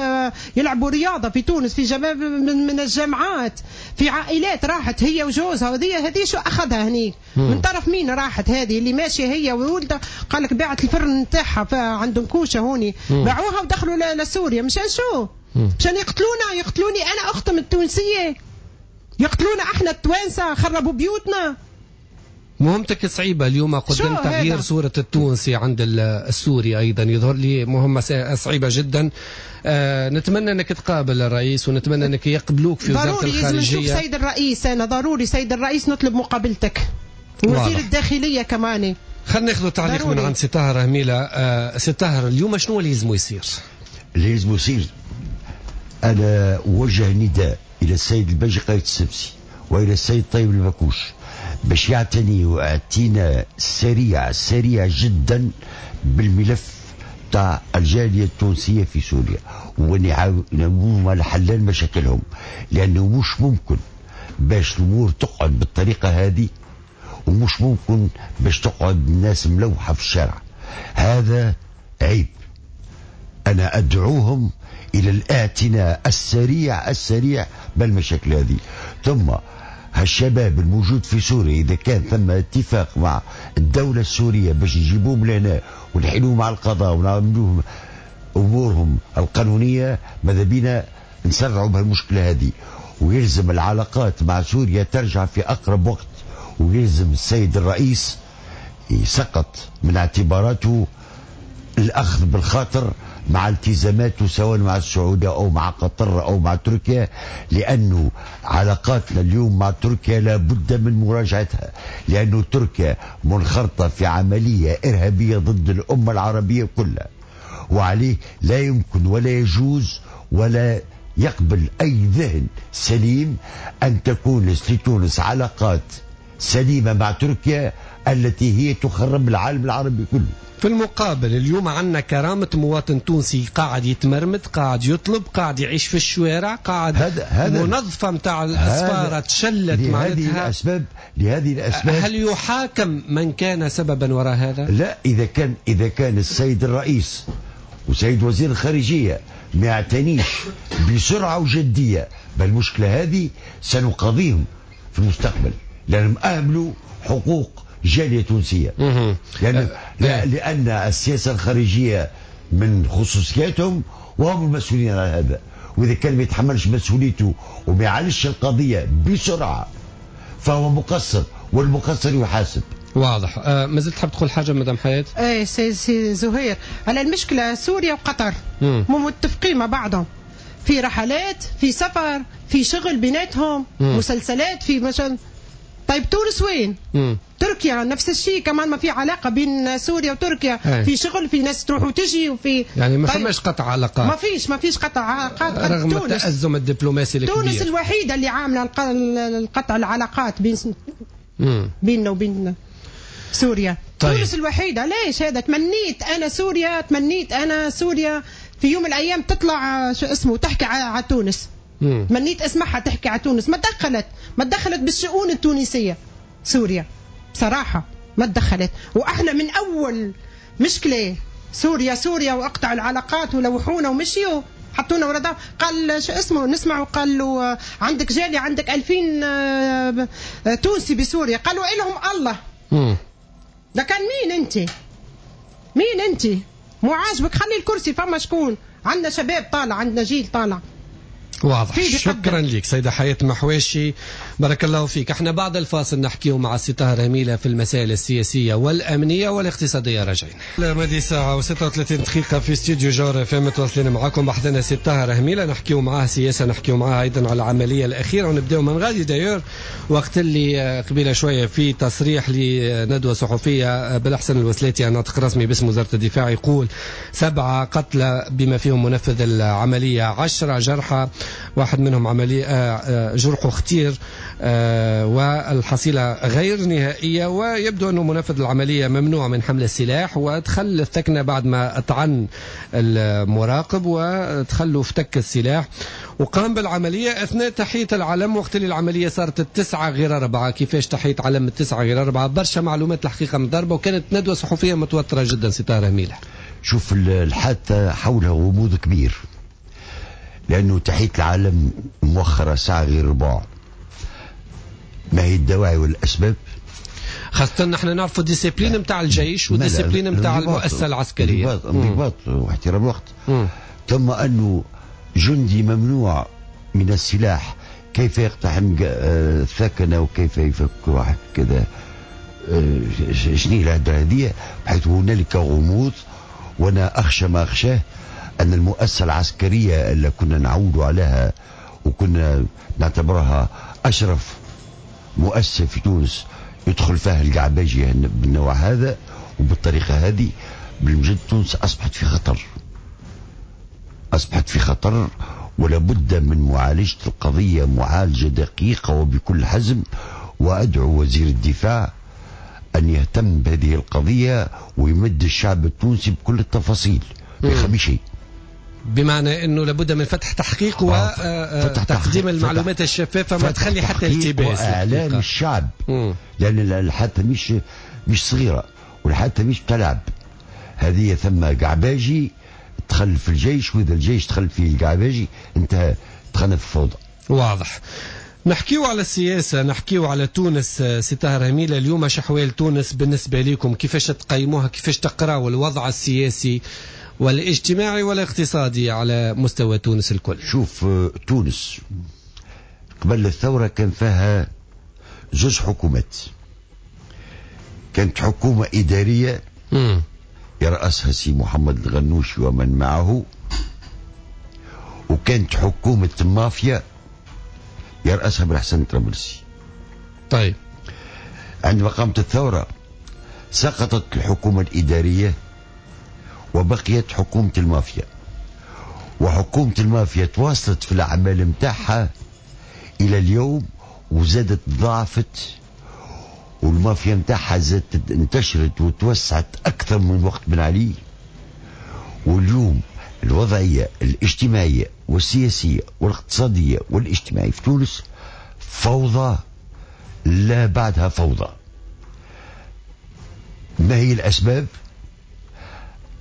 [SPEAKER 6] يلعبوا رياضة في تونس، في شباب من الجامعات، في عائلات راحت هي وجوزها، هذه شو أخذها هنيك من طرف مين راحت هذه اللي ماشية هي وولدها، قال لك باعت الفرن نتاعها عندهم كوشة هوني، باعوها ودخلوا لسوريا مشان شو؟ مشان يقتلونا، يقتلوني أنا أختهم التونسية، يقتلونا احنا التوانسة، خربوا بيوتنا.
[SPEAKER 3] مهمتك صعيبة اليوم قدام تغيير صوره التونسي عند السوري ايضا، يظهر لي مهمة صعيبة جدا. نتمنى انك تقابل الرئيس، ونتمنى انك يقبلوك في وزارة الخارجية.
[SPEAKER 6] ضروري نشوف سيد الرئيس، انا ضروري سيد الرئيس نطلب مقابلتك، وزير الداخلية كمان.
[SPEAKER 3] خلينا ناخذ تعليق من عند سي طاهر هميله. سي طاهر، اليوم شنو اللي لازم يصير؟
[SPEAKER 5] اللي لازم يصير، انا اوجه نداء إلى السيد الباجي قايد السبسي وإلى السيد طيب البكوش باش يعتني واعتناء سريع سريع جدا بالملف تاع الجالية التونسية في سوريا، ونعاونوهم على حلان مشاكلهم، لأنه مش ممكن باش الأمور تقعد بالطريقة هذه، ومش ممكن باش تقعد الناس ملوحة في الشارع. هذا عيب. أنا أدعوهم إلى الاعتناء السريع السريع بالمشاكل هذه. ثم هالشباب الموجود في سوريا إذا كان ثم اتفاق مع الدولة السورية باش نجيبوهم لهنا ونحيلوهم على القضاء ونعملوهم أمورهم القانونية، ماذا بينا نسرعوا بهالمشكلة هذه. ويلزم العلاقات مع سوريا ترجع في أقرب وقت، ويلزم السيد الرئيس يسقط من اعتباراته الأخذ بالخاطر مع التزاماته سواء مع السعودية أو مع قطر أو مع تركيا، لأنه علاقاتنا اليوم مع تركيا لابد من مراجعتها، لأنه تركيا منخرطة في عملية إرهابية ضد الأمة العربية كلها، وعليه لا يمكن ولا يجوز ولا يقبل أي ذهن سليم أن تكون لتونس علاقات سليمة مع تركيا التي هي تخرب العالم العربي كله.
[SPEAKER 3] في المقابل اليوم عندنا كرامة مواطن تونسي قاعد يتمرمد، قاعد يطلب، قاعد يعيش في الشوارع، قاعد هذا منظفة متاع الأسفارة تشلت معناتها.
[SPEAKER 5] لهذه الأسباب
[SPEAKER 3] هل يحاكم من كان سببا وراء هذا؟
[SPEAKER 5] لا، إذا كان السيد الرئيس وسيد وزير الخارجية ما يعتنيش بسرعة وجديه بالمشكلة هذه سنقاضيهم في المستقبل، لانهم اهملوا حقوق جالية تونسية. لان السياسة الخارجية من خصوصياتهم وهم المسؤولين على هذا، واذا كان ما يتحملش مسؤوليته وما يعالجش القضية بسرعة فهو مقصر، والمقصر يحاسب.
[SPEAKER 3] واضح. ما زلت تحب تقول حاجة مدام حياة؟
[SPEAKER 6] ايه سي زهير، على المشكلة سوريا وقطر مو متفقين مع بعضهم في رحلات، في سفر، في شغل بيناتهم، مسلسلات، في مثلا. طيب تونس وين؟ تركيا نفس الشيء كمان، ما في علاقة بين سوريا وتركيا. في شغل، في ناس تروح وتجي، وفي
[SPEAKER 3] يعني ما
[SPEAKER 6] طيب
[SPEAKER 3] فماش قطع علاقات،
[SPEAKER 6] ما فيش قطع علاقات
[SPEAKER 3] رغم التأزم الدبلوماسي الكبير.
[SPEAKER 6] تونس الوحيدة اللي عامله القطع العلاقات بيننا وبين سوريا. طيب. تونس الوحيدة. ليش هذا؟ تمنيت انا سوريا، تمنيت انا سوريا في يوم من الايام تطلع شو اسمه تحكي على تونس. تمنيت اسمعها تحكي على تونس. ما تدخلت بالشؤون التونسية سوريا بصراحة، ما تدخلت. واحنا من اول مشكلة سوريا سوريا واقطعوا العلاقات ولوحونا ومشيوا حطونا ورا ظهر. قال شو اسمه نسمعوا، قال له عندك جالية، عندك 2000 تونسي بسوريا. قالوا إلهم الله. ده كان مين انت؟ مين انت؟ مو عاجبك خلي الكرسي، فما شكون؟ عندنا شباب طالع، عندنا جيل طالع.
[SPEAKER 3] واضح. شكرا لك سيدة حياة محواشي، بارك الله فيك. احنا بعد الفاصل نحكيه مع السي طاهر هميلة في المسائل السياسية والأمنية والاقتصادية. راجعين لمدي ساعة و36 دقيقة في استوديو جوهرة FM، متواصلين معكم بحثنا سي طاهر هميلة، نحكيه معاه سياسة، نحكيه معاه أيضا على العملية الأخيرة، ونبداو من غادي دايور وقت اللي قبيلة شوية في تصريح لندوة صحفية بالأحسن الوسلاتي الناطق الرسمي باسم وزارة الدفاع يقول 7 قتلى بما فيهم منفذ العملية، 10 جرحى، واحد منهم عملية جرحه خطير، والحصيلة غير نهائية، ويبدو أنه منفذ العملية ممنوع من حمل السلاح ودخل الثكنة بعد ما طعن المراقب ودخل افتك السلاح وقام بالعملية أثناء تحية العلم. وقت اللي العملية صارت 8:45. كيفاش تحية علم 8:45؟ برشا معلومات الحقيقة مضاربة، وكانت ندوة صحفية متوترة جدا. ستارة هميلة،
[SPEAKER 5] شوف الحادثة حولها غموض كبير، لأنه تحية العالم مؤخرة 8:45. ما هي الدواعي والأسباب؟
[SPEAKER 3] خاصة نحن نعرفوا ال discipline نتاع الجيش وال discipline نتاع المؤسسة العسكرية،
[SPEAKER 5] انضباط واحترام الوقت. ثم أنه جندي ممنوع من السلاح كيف يقتحم الثكنة وكيف يفك واحد كذا؟ شنو الهدرة هذه؟ بحيث هنالك غموض، وأنا أخشى ما أخشاه أن المؤسسة العسكرية اللي كنا نعود عليها وكنا نعتبرها أشرف مؤسسة في تونس يدخل فيها القعباجية بالنوع هذا وبالطريقة هذه، بالمجد تونس أصبحت في خطر، أصبحت في خطر، ولا بد من معالجة القضية معالجة دقيقة وبكل حزم. وأدعو وزير الدفاع أن يهتم بهذه القضية ويمد الشعب التونسي بكل التفاصيل، ما يخبي شيء.
[SPEAKER 3] بمعنى انه لابد من فتح تحقيق وتقديم المعلومات الشفافه، ما تخلي حتى التباس،
[SPEAKER 5] واعلام الشعب. لان الحادثة مش صغيرة، والحادثه مش بتلعب. هذه ثم قعباجي دخل في الجيش، واذا الجيش دخل فيه القعباجي انتهى، دخلنا في الفوضى.
[SPEAKER 3] واضح. نحكيو على السياسة، نحكيو على تونس. سي طاهر هميلة، اليوم اش احوال تونس بالنسبة لكم؟ كيفاش تقيموها؟ كيفاش تقراوا الوضع السياسي والاجتماعي والاقتصادي على مستوى تونس الكل؟
[SPEAKER 5] شوف، تونس قبل الثورة كان فيها 2 حكومات. كانت حكومة إدارية يرأسها سي محمد الغنوشي ومن معه، وكانت حكومة مافيا يرأسها بالحسن الطرابلسي.
[SPEAKER 3] طيب،
[SPEAKER 5] عندما قامت الثورة سقطت الحكومة الإدارية وبقيت حكومة المافيا، وحكومة المافيا تواصلت في الأعمال متاعها إلى اليوم وزادت ضعفت، والمافيا متاعها زادت انتشرت وتوسعت أكثر من وقت بن علي. واليوم الوضعية الاجتماعية والسياسية والاقتصادية والاجتماعية في تونس فوضى لا بعدها فوضى. ما هي الأسباب؟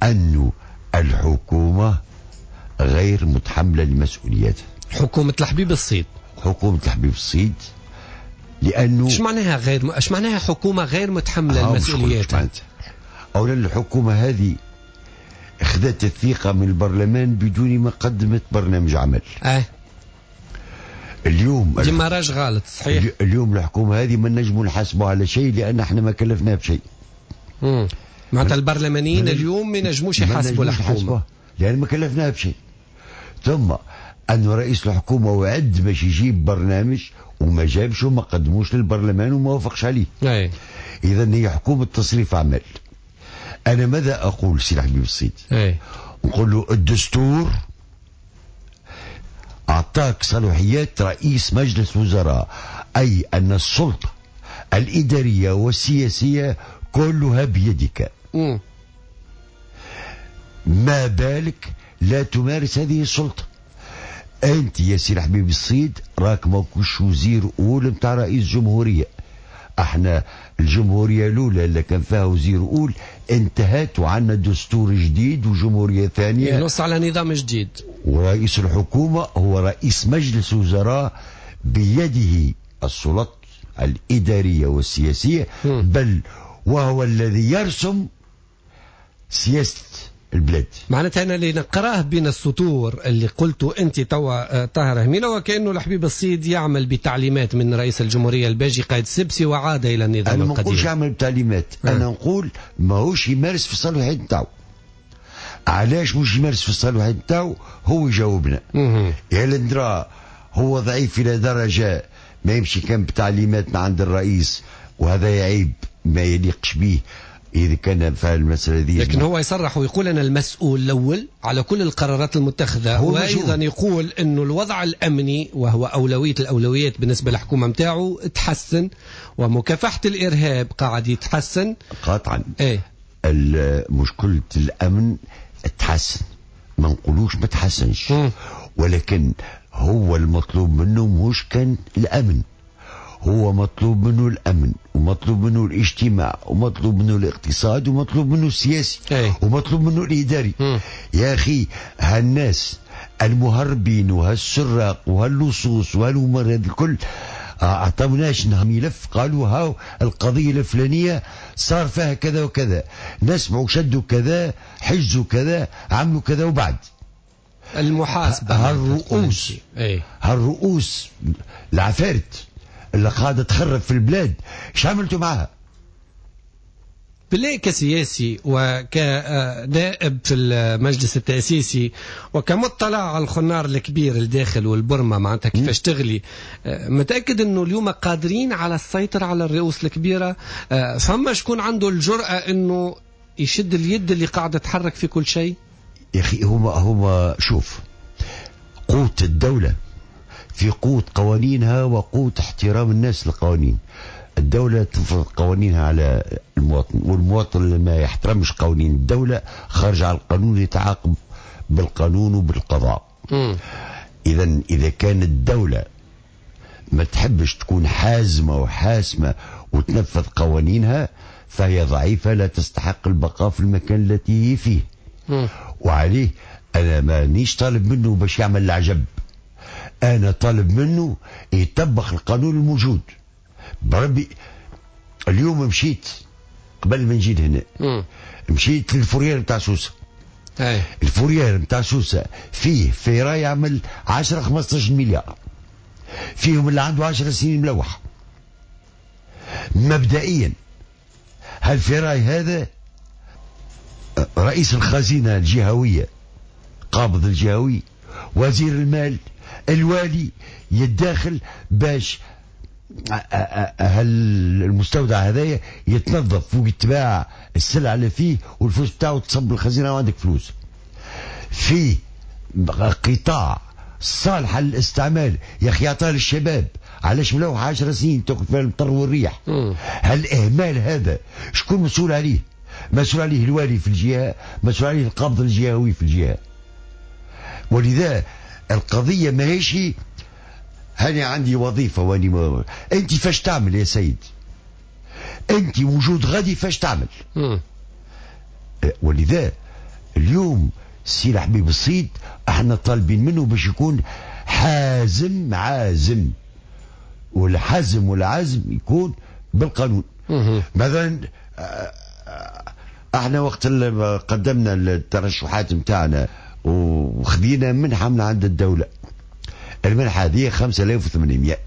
[SPEAKER 5] أن الحكومة غير متحملة لمسؤولياتها.
[SPEAKER 3] حكومة الحبيب الصيد.
[SPEAKER 5] حكومة الحبيب الصيد، لأنه
[SPEAKER 3] ايش معناها غير ايش معناها حكومة غير متحملة لمسؤولياتها؟
[SPEAKER 5] أولا الحكومة هذه اخذت الثقة من البرلمان بدون ما قدمت برنامج عمل. اليوم
[SPEAKER 3] démarrage غلط، صحيح.
[SPEAKER 5] اليوم الحكومة هذه ما نجموا نحاسبوا على شيء لأن احنا ما كلفناها بشيء.
[SPEAKER 3] معناتها البرلمانيين اليوم ما ينجموش يحاسبوا الحكومة
[SPEAKER 5] لأن ما كلفناها بشيء. ثم أن رئيس الحكومة وعد باش يجيب برنامج وما جابش وما قدموش للبرلمان وما وافقش عليه. إذا هي حكومة تصريف أعمال. أنا ماذا أقول سي الحبيب الصيد؟ نقول له الدستور أعطاك صلاحيات رئيس مجلس وزراء، أي أن السلطة الإدارية والسياسية كلها بيدك. ما بالك لا تمارس هذه السلطة. أنت يا سي الحبيب الصيد راك ماكوش وزير أول نتاع رئيس جمهورية. احنا الجمهورية الأولى اللي كان فيها وزير أول انتهت، وعندنا دستور جديد وجمهورية ثانية
[SPEAKER 3] ينص على نظام جديد،
[SPEAKER 5] ورئيس الحكومة هو رئيس مجلس وزراء بيده السلطة الإدارية والسياسية، بل وهو الذي يرسم سياسة البلاد.
[SPEAKER 3] معناتها أنا اللي نقراه بين السطور اللي قلته أنت توا طاهر هميلة، وكأنه الحبيب الصيد يعمل بتعليمات من رئيس الجمهورية الباجي قائد السبسي وعاد إلى النظام
[SPEAKER 5] أنا
[SPEAKER 3] القديم.
[SPEAKER 5] أنا ما نقولش يعمل بتعليمات، أنا نقول ماهوش يمارس في الصلاحيات نتاعو. علاش مش يمارس في الصلاحيات نتاعو؟ هو يجاوبنا. يا لندرا هو ضعيف إلى درجة ما يمشي كان بتعليمات من عند الرئيس، وهذا يعيب ما يليقش به إذا كان فعل المسألة دي.
[SPEAKER 3] لكن هو يصرح ويقول أنا المسؤول الأول على كل القرارات المتخذة، وأيضا يقول أنه الوضع الأمني وهو أولوية الأولويات بالنسبة للحكومة متاعه تحسن، ومكافحة الإرهاب قاعد يتحسن.
[SPEAKER 5] قاطعا. مشكلة الأمن تحسن، ما نقولوش ما تحسنش، ولكن هو المطلوب منه مش كان الأمن، هو مطلوب منه الأمن ومطلوب منه الاجتماع ومطلوب منه الاقتصاد ومطلوب منه السياسي ومطلوب منه الإداري. يا أخي هالناس المهربين وهالسراق وهاللصوص وهالأمور هذه الكل أعطوناش ملف، قالوا هاو القضية الفلانية صار فيها كذا وكذا، نسمعوا شدوا كذا، حجزوا كذا، عملوا كذا، وبعد
[SPEAKER 3] المحاسبة
[SPEAKER 5] هالرؤوس هالرؤوس العفارت اللي قاعدة تخرب في البلاد، ايش عملتوا معها؟
[SPEAKER 3] بالله كسياسي وكنائب في المجلس التأسيسي وكمطلع على الخنار الكبير الداخل والبرمة معناتها كيفاش تغلي، متأكد انه اليوم قادرين على السيطرة على الرؤوس الكبيرة؟ فما شكون عنده الجرأة انه يشد اليد اللي قاعدة تحرك في كل شيء؟
[SPEAKER 5] يا اخي هما شوف، قوة الدولة في قوة قوانينها وقوة احترام الناس للقوانين. الدولة تفرض قوانينها على المواطن، والمواطن اللي ما يحترمش قوانين الدولة خارج على القانون يتعاقب بالقانون وبالقضاء. إذا إذا كان الدولة ما تحبش تكون حازمة وحاسمة وتنفذ قوانينها فهي ضعيفة، لا تستحق البقاء في المكان التي هي فيه. وعليه أنا مانيش طالب منه باش يعمل العجب، أنا طالب منه يطبق القانون الموجود. بربي اليوم مشيت قبل ما نجي لهنا، مشيت لل fourrière نتاع سوسة. ال fourrière نتاع سوسة فيه ferraille يعمل 10 15 مليار، فيهم اللي عنده 10 سنين ملوح. مبدئيا هال ferraille هذا رئيس الخزينة الجهوية، قابض الجهوي، وزير المال، الوالي يتداخل باش هل المستودع هذايا يتنظف ويتباع السلعة اللي فيه والفلوس بتاعه تصب الخزينة وعندك فلوس. في قطاع صالح للاستعمال يا اخي عطاه للشباب، علاش ملوح 10 سنين تاكل فيها المطر والريح؟ هالاهمال هذا شكون مسؤول عليه؟ مسؤول عليه الوالي في الجهة، مسؤول عليه القابض الجهوي في الجهة. ولذا القضية ماهيش هاني عندي وظيفة واني ما... انت فاش تعمل يا سيد؟ انت وجود غادي فاش تعمل؟ ولذا اليوم السي الحبيب الصيد احنا طالبين منه باش يكون حازم عازم، والحزم والعزم يكون بالقانون. مثلا احنا وقت اللي قدمنا الترشحات نتاعنا وخذينا منحه من عند الدولة، المنحة هذه 5800،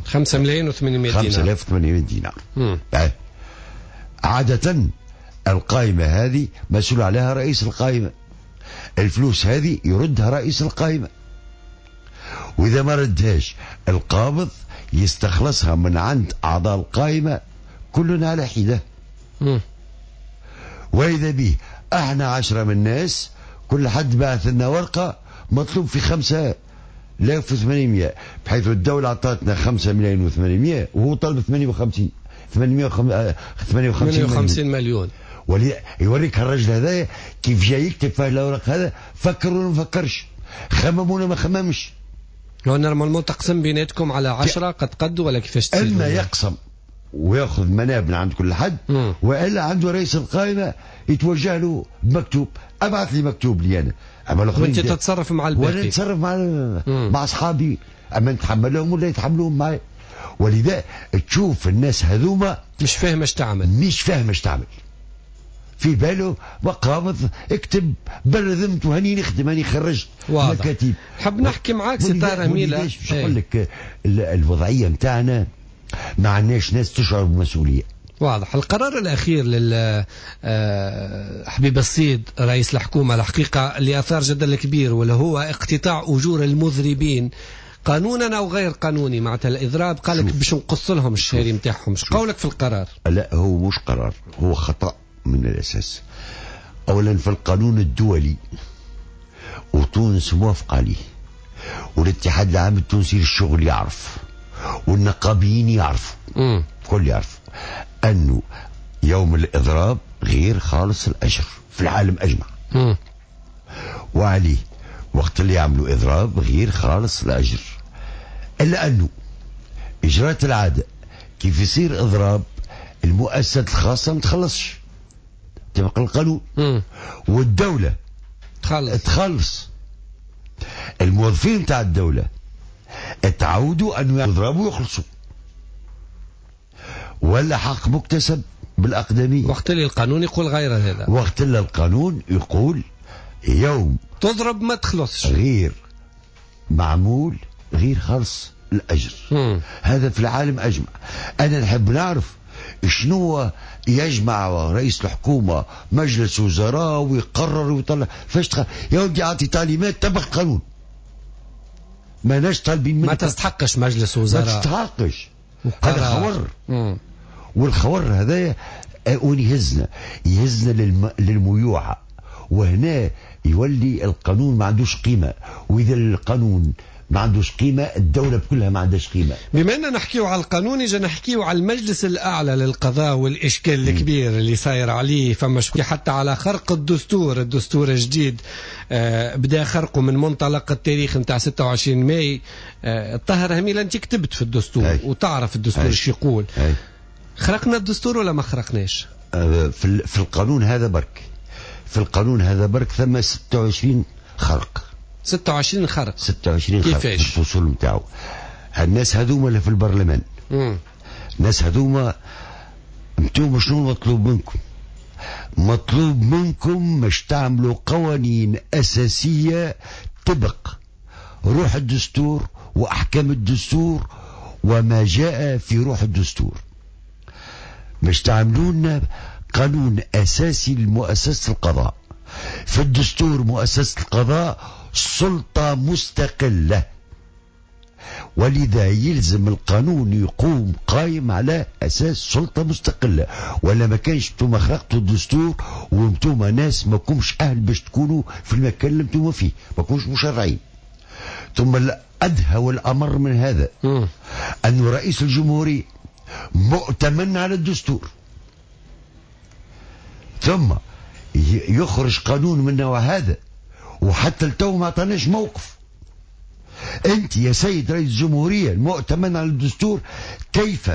[SPEAKER 3] 5,800,000 دينار.
[SPEAKER 5] 5800 دينار. عادة القائمة هذه مسؤول عليها رئيس القائمة، الفلوس هذه يردها رئيس القائمة، وإذا ما ردهاش القابض يستخلصها من عند أعضاء القائمة كلنا على حدة. وإذا به احنا 10 من الناس، كل حد بعث لنا ورقة مطلوب في 5800، بحيث الدولة أعطتنا 5,800,000 وهو طلب 58 مليون. يوريك الرجل هذا كيف جاي يكتب في الاوراق هذا، فكر ولا ما فكرش، خمم ولا ما خممش.
[SPEAKER 3] لو normalement تقسم بيناتكم على 10 قد قد ولا كيفاش تصير؟
[SPEAKER 5] اما يقسم وياخذ مناب من عند كل حد، والا عنده رئيس القائمة يتوجه له بمكتوب، ابعث لي مكتوب لي انا، اما
[SPEAKER 3] وانت تتصرف مع الباقي،
[SPEAKER 5] وانا نتصرف مع اصحابي، اما نتحملهم ولا يتحملوهم معي. ولذا تشوف الناس هذوما
[SPEAKER 3] مش فاهم اش تعمل،
[SPEAKER 5] مش فاهم اش تعمل، في باله وقابض اكتب برذمت وهني نخدم هاني خرجت مكاتب.
[SPEAKER 3] حب نحكي معاك سي طاهر هميلة.
[SPEAKER 5] باش نقول لك الوضعية نتاعنا ما عندناش ناس تشعر بالمسؤولية.
[SPEAKER 3] واضح. القرار الاخير لل حبيب الصيد رئيس الحكومة الحقيقة اللي اثار جدل كبير، واللي هو اقتطاع اجور المذربين قانونا او غير قانوني، معناتها الاضراب قال لك باش نقص لهم الشهري نتاعهم. اش قولك في القرار؟
[SPEAKER 5] لا هو مش قرار، هو خطأ من الاساس. اولا في القانون الدولي وتونس موافقة عليه، والاتحاد العام التونسي للشغل يعرف، والنقابيين يعرفوا، كل يعرف انه يوم الاضراب غير خالص الاجر في العالم اجمع. وعليه وقت اللي يعملوا اضراب غير خالص الاجر، الا انه اجراءات العادة كيف يصير اضراب المؤسسات الخاصة ما تخلصش طبق القانون، والدولة تخلص. الموظفين تاع الدولة تعودوا أن يضربوا ويخلصوا، ولا حق مكتسب بالأقدمية.
[SPEAKER 3] وقت اللي القانون يقول غير هذا،
[SPEAKER 5] وقت اللي القانون يقول يوم
[SPEAKER 3] تضرب ما تخلصش،
[SPEAKER 5] غير معمول غير خلص الأجر. هذا في العالم أجمع. أنا نحب نعرف شنو يجمع رئيس الحكومة مجلس وزراء ويقرر ويطلع فاش يا ودي أعطي تعليمات تبع القانون، ما ناش طالبين منك،
[SPEAKER 3] ما تستحقش مجلس وزراء،
[SPEAKER 5] ما تستحقش. هذا خور. والخور هذا وين يهزنا؟ يهزنا للميوعة، وهنا يولي القانون ما عندوش قيمة، وإذا القانون ما عندوش قيمة الدولة بكلها ما عندهاش قيمة.
[SPEAKER 3] بما أننا نحكيو على القانون، إجا نحكيو على المجلس الأعلى للقضاء والإشكال الكبير اللي صاير عليه. فما شكون حتى على خرق الدستور، الدستور الجديد بدا خرقه من منطلق التاريخ نتاع 26 ماي. الطاهر هميلة أنت كتبت في الدستور وتعرف الدستور ايش يقول. خرقنا الدستور ولا ما خرقناش؟
[SPEAKER 5] في القانون هذا برك، في القانون هذا برك ثم 26 خرق.
[SPEAKER 3] 26 خرق.
[SPEAKER 5] 26 خرق.
[SPEAKER 3] كيفاش؟
[SPEAKER 5] الفصول نتاعو. الناس هذوما اللي في البرلمان، الناس هذوما انتم شنو مطلوب منكم؟ مطلوب منكم باش تعملوا قوانين أساسية تبق روح الدستور وأحكام الدستور وما جاء في روح الدستور، باش تعملوا لنا قانون أساسي لمؤسسة القضاء. في الدستور مؤسسة القضاء سلطة مستقلة، ولذا يلزم القانون يقوم قايم على أساس سلطة مستقلة، ولا ما كانش انتم خرقتوا الدستور وانتم ناس ما كومش أهل باش تكونوا في المكان اللي انتم فيه، ما كومش مشرعين. ثم الأدهى والأمر من هذا أن رئيس الجمهورية مؤتمن على الدستور، ثم يخرج قانون من نوع هذا وحتى التو ما عطاناش موقف. انت يا سيد رئيس الجمهورية المؤتمن على الدستور كيف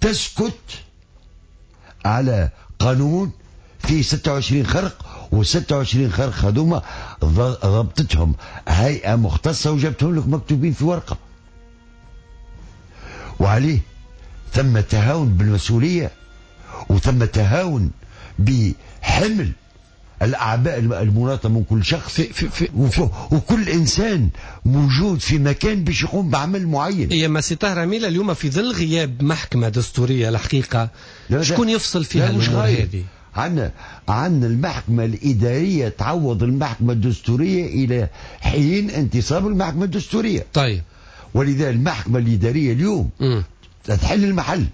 [SPEAKER 5] تسكت على قانون فيه 26 خرق، و26 خرق هذوما ضبطتهم هيئة مختصة وجبتهم لك مكتوبين في ورقة. وعليه ثم تهاون بالمسؤولية، وثم تهاون بحمل الأعباء المناطة من كل شخص في وكل إنسان موجود في مكان باش يقوم بعمل معين.
[SPEAKER 3] يا ما سي طاهر هميلة، اليوم في ظل غياب محكمة دستورية الحقيقة شكون يفصل فيها الأمور هذه؟
[SPEAKER 5] عندنا المحكمة الإدارية تعوض المحكمة الدستورية إلى حين انتصاب المحكمة الدستورية.
[SPEAKER 3] طيب،
[SPEAKER 5] ولذا المحكمة الإدارية اليوم تحل المحل.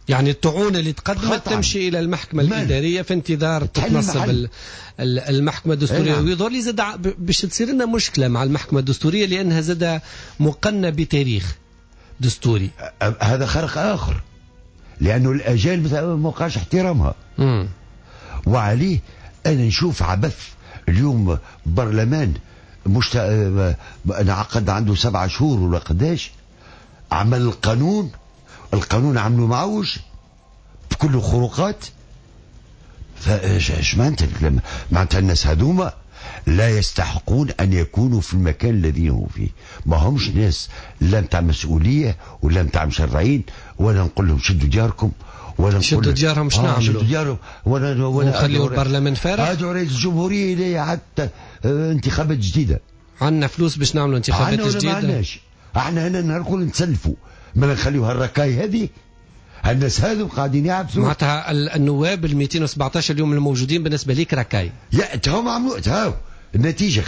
[SPEAKER 3] يعني الطعون اللي تقدمت تمشي الى المحكمة الادارية في انتظار تتنصب المحكمة الدستورية. ويظهر لي زاد باش تصير لنا مشكلة مع المحكمة الدستورية لانها زاد مقنه بتاريخ دستوري.
[SPEAKER 5] هذا خرق اخر، لانه الاجال ما وقعش احترامها. وعليه انا نشوف عبث اليوم. برلمان انعقد عنده 7 شهور ولا قداش، عمل القانون، القانون عملوا معوج بكل خروقات. فايش معناتها الكلام؟ معناتها الناس هذوما لا يستحقون ان يكونوا في المكان الذي هم فيه. ما همش ناس لا نتاع مسؤولية ولا نتاع مشرعين، ولا نقول لهم شدوا دياركم، ولا
[SPEAKER 3] شدوا ديارهم. شنو نعملوا؟
[SPEAKER 5] شدوا ديارهم ولا
[SPEAKER 3] نخليوا البرلمان فارغ.
[SPEAKER 5] ادعوا رئيس الجمهورية الى حتى انتخابات جديدة.
[SPEAKER 3] عندنا فلوس باش نعملوا انتخابات جديدة؟
[SPEAKER 5] ما عندناش. احنا هنا نقول نتسلفوا، ما نخليو هالركاي هذه، الناس هذو قاعدين يعبثوا.
[SPEAKER 3] معناتها النواب ال 217 اليوم الموجودين بالنسبة ليك ركاي.
[SPEAKER 5] يا هم عملوا تهاو النتيجة.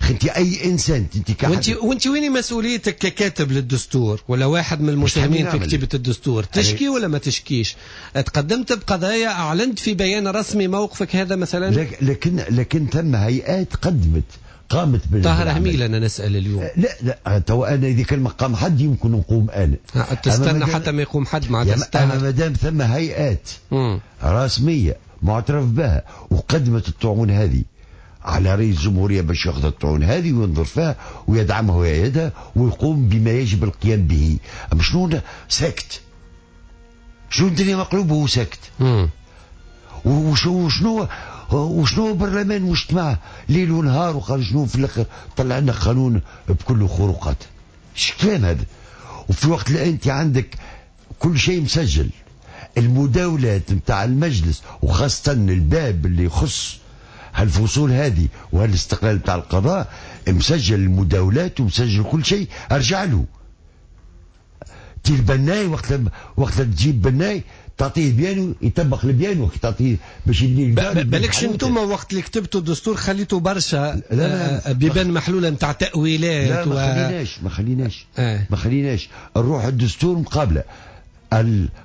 [SPEAKER 5] خنتي اي انسان انت
[SPEAKER 3] وانت وين مسؤوليتك ككاتب للدستور ولا واحد من المساهمين في كتيبة الدستور؟ تشكي ولا ما تشكيش؟ تقدمت بقضايا، اعلنت في بيان رسمي موقفك هذا مثلا؟
[SPEAKER 5] لكن ثم هيئات قدمت قامت بال
[SPEAKER 3] طاهر هميل. انا نسال اليوم.
[SPEAKER 5] لا لا، تو انا اذا كان ما قام حد يمكن نقوم انا.
[SPEAKER 3] تستنى حتى ما يقوم حد معناتها.
[SPEAKER 5] انا ما دام ثم هيئات رسمية معترف بها وقدمت الطعون هذه على رئيس الجمهورية باش ياخذ الطعون هذه وينظر فيها ويدعمها ويأيدها ويقوم بما يجب القيام به. اما شنو ساكت؟ شنو الدنيا مقلوبة وهو ساكت؟ وشنو برلمان مجتمع ليل ونهار وقال شنو في الاخر طلع لنا قانون بكل خروقات. ايش كلام هذا؟ وفي الوقت اللي انت عندك كل شيء مسجل، المداولات نتاع المجلس وخاصة الباب اللي يخص هالفصول هذه وهالاستقلال نتاع القضاء مسجل المداولات ومسجل كل شيء. ارجع له تي البناي وقت تجيب بناي تعطيه بيانو يطبق البيانو، تعطيه باش يبني الدار.
[SPEAKER 3] بالكش انتم وقت اللي كتبتوا الدستور خليتوا برشا بيبان محلولة نتاع تاويلات.
[SPEAKER 5] لا ما خليناش ما خليناش نروح الدستور مقابله.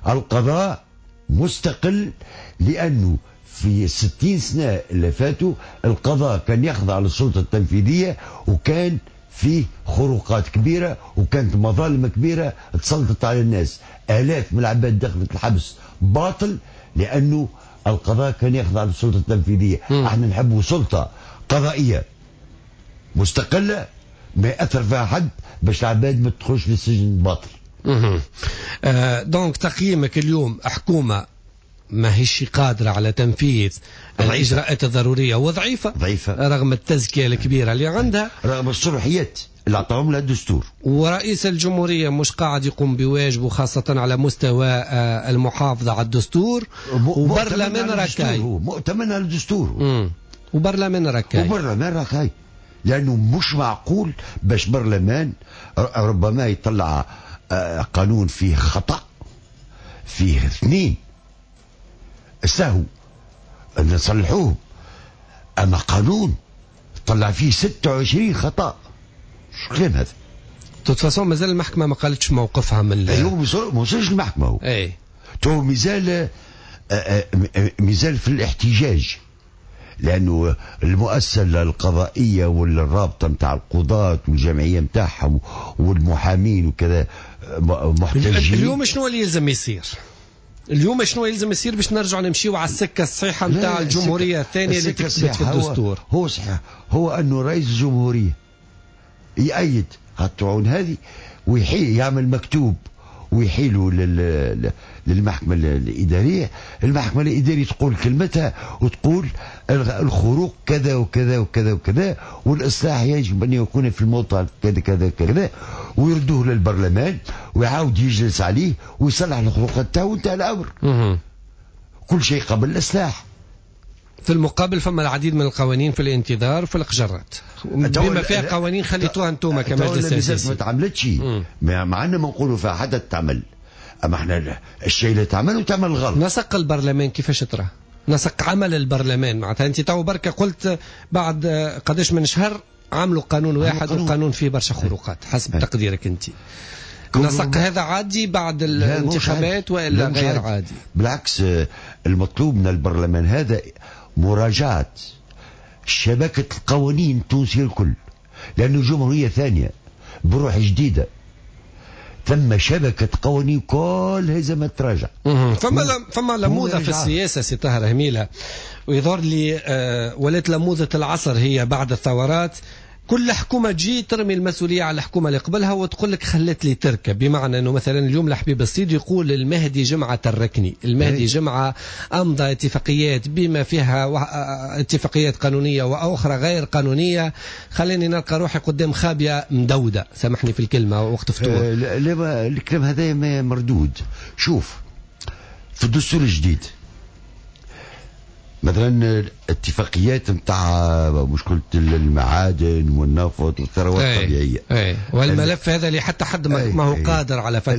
[SPEAKER 5] القضاء مستقل، لانه في 60 سنة اللي فاتوا القضاء كان يخضع للسلطة التنفيذية، وكان فيه خروقات كبيرة وكانت مظالم كبيرة تسلطت على الناس. آلاف من العباد دخلت الحبس باطل لأنه القضاء كان يخضع للسلطة التنفيذية. احنا نحب سلطة قضائية مستقلة ما يأثر فيها حد باش العباد ما تدخلش للسجن باطل.
[SPEAKER 3] donc تقييمك اليوم حكومة ما هيش قادرة على تنفيذ الإجراءات الضرورية وضعيفة
[SPEAKER 5] ضعيفة
[SPEAKER 3] رغم التزكية الكبيرة اللي عندها،
[SPEAKER 5] رغم الصلاحيات اللي أعطاهم لها الدستور،
[SPEAKER 3] ورئيس الجمهورية مش قاعد يقوم بواجبه خاصة على مستوى المحافظة على الدستور، وبرلمان ركاي
[SPEAKER 5] مؤتمن على الدستور،
[SPEAKER 3] وبرلمان ركاي،
[SPEAKER 5] وبرلمان ركاي، لأنه مش معقول باش برلمان ربما يطلع قانون فيه خطأ، فيه اثنين سهو نصلحوه، اما قانون طلع فيه 26 خطا، شو كلام هذا؟
[SPEAKER 3] toute façon مازال المحكمة ما قالتش موقفها من
[SPEAKER 5] ايوه، ما وصلش المحكمة هو.
[SPEAKER 3] اي
[SPEAKER 5] تو مازال في الاحتجاج، لانه المؤسسة القضائية والرابطه نتاع القضاة والجمعية نتاعهم والمحامين وكذا محتجين.
[SPEAKER 3] اليوم شنو اللي يلزم يصير؟ اليوم شنو يلزم يصير باش نرجع نمشيو على السكة الصحيحة نتاع الجمهورية الثانية اللي تكتبت في الدستور؟
[SPEAKER 5] هو صحيح، هو انه رئيس الجمهورية يأيد هالطعون هذه ويحيي يعمل مكتوب ويحيلوا للمحكمة الإدارية. المحكمة الإدارية تقول كلمتها وتقول الخروق كذا وكذا وكذا وكذا، والإصلاح يجب أن يكون في الموضع كذا كذا كذا، ويردوه للبرلمان ويعاود يجلس عليه ويصلح الخروقات تاعو وانتهى الأمر. كل شيء قبل الإصلاح.
[SPEAKER 3] في المقابل فما العديد من القوانين في الانتظار في القجرات، بما فيها قوانين خليتوها انتم كمجلس تأسيسي
[SPEAKER 5] ما تعملتش، مع أن ما نقولوا فيها حتى تعمل، اما احنا الشيء اللي تعمل وتعمل غلط.
[SPEAKER 3] نسق البرلمان كيفاش ترى؟ نسق عمل البرلمان معناتها انت تو بركة قلت بعد قداش من شهر عملوا قانون واحد وقانون فيه برشا خروقات حسب تقديرك انت. نسق هذا عادي بعد الانتخابات والا غير عادي؟
[SPEAKER 5] بالعكس، المطلوب من البرلمان هذا مراجعة شبكة القوانين التونسية الكل، لأنه جمهورية ثانية بروح جديدة، ثم شبكة قوانين كلها لازم تراجع.
[SPEAKER 3] فما لموذة في السياسة سي طاهر هميلة، ويظهر لي ولات لموذة العصر هي بعد الثورات، كل حكومة تجي ترمي المسؤولية على الحكومة اللي قبلها وتقول لك خلت لي تركة. بمعنى أنه مثلا اليوم الحبيب الصيد يقول المهدي جمعة تركني، المهدي جمعة أمضى اتفاقيات بما فيها اتفاقيات قانونية وأخرى غير قانونية، خليني نلقى روحي قدام خابية مدودة، سامحني في الكلمة وقت فطور.
[SPEAKER 5] لا الكلام هذا مردود. شوف في الدستور الجديد مثلا الاتفاقيات نتاع مشكلة المعادن والنفط والثروات الطبيعية.
[SPEAKER 3] والملف هذا اللي حتى حد ما هو قادر على فتحه،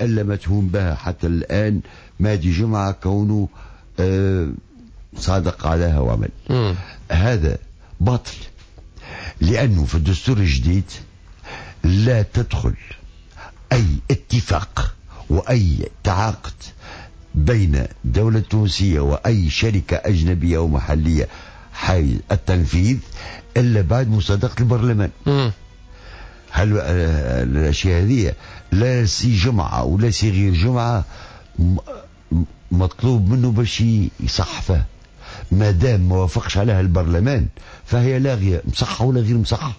[SPEAKER 5] اللي متهوم بها حتى الآن مهدي جمعة كونه صادق عليها وعمل. هذا باطل، لأنه في الدستور الجديد لا تدخل أي اتفاق وأي تعاقد بين الدولة التونسية وأي شركة أجنبية أو محلية حيز التنفيذ إلا بعد مصادقة البرلمان. هل الأشياء هذه لا سي جمعة ولا سي غير جمعة مطلوب منه باش يصحفه، ما دام ما وافقش عليها البرلمان فهي لاغية، مصحة ولا غير مصحة.